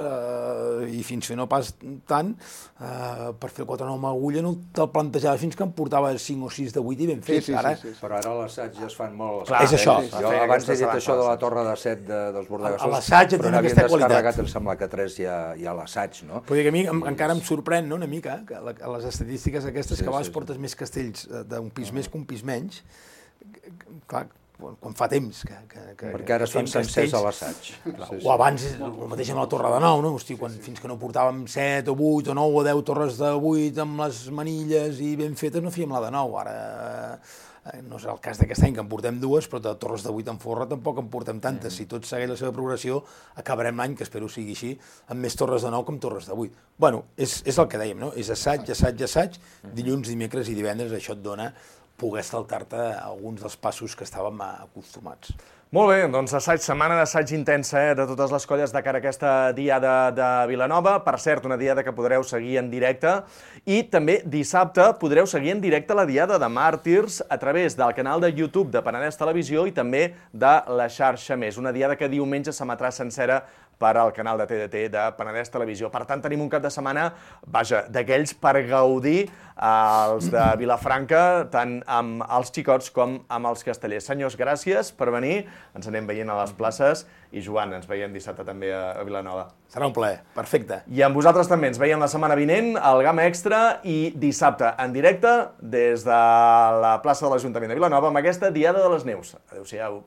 i fins que no pas tant, per fer el 4 de 9 amb agulla no te'l plantejava fins que em portava 5 o 6 de 8 i ben fet. Però ara l'assaig ja es fan molt... Clar, és això. Jo abans he dit això de la torre de 7 dels Bordegassos, l'assaig però n'havien descarregat, em sembla que 3 hi ha l'assaig, no? Però a mi encara em sorprèn, no?, una mica, que les estadístiques aquestes que a vegades portes més castells d'un pis més que un pis menys, clar, quan fa temps que perquè ara es fan sencers a l'assaig. O abans, el mateix amb la torre de 9, no? Hosti, fins que no portàvem 7 o 8 o 9 o 10 torres de 8 amb les manilles i ben fetes, no fèiem la de 9. Ara no serà el cas d'aquest any que en portem dues, però de torres de 8 en forra tampoc en portem tantes. Si tot segueix la seva progressió, acabarem l'any, que espero sigui així, amb més torres de 9 que amb torres de 8. Bueno, és el que dèiem, no? És assaig, dilluns, dimecres i divendres, això et dona poder saltar-te alguns dels passos que estàvem acostumats. Molt bé, doncs setmana d'assaig intensa de totes les colles de cara a aquesta diada de Vilanova. Per cert, una diada que podreu seguir en directe. I també dissabte podreu seguir en directe la diada de Màrtirs a través del canal de YouTube de Penedès Televisió i també de la xarxa Més. Una diada que diumenge s'emetrà sencera per al canal de TDT de Penedès Televisió. Per tant, tenim un cap de setmana, d'aquells per gaudir els de Vilafranca, tant amb els xicots com amb els castellers. Senyors, gràcies per venir. Ens anem veient a les places i, Joan, ens veiem dissabte també a Vilanova. Serà un plaer, perfecte. I amb vosaltres també ens veiem la setmana vinent al Gamma Extra i dissabte en directe des de la plaça de l'Ajuntament de Vilanova amb aquesta Diada de les Neus. Adéu-siau.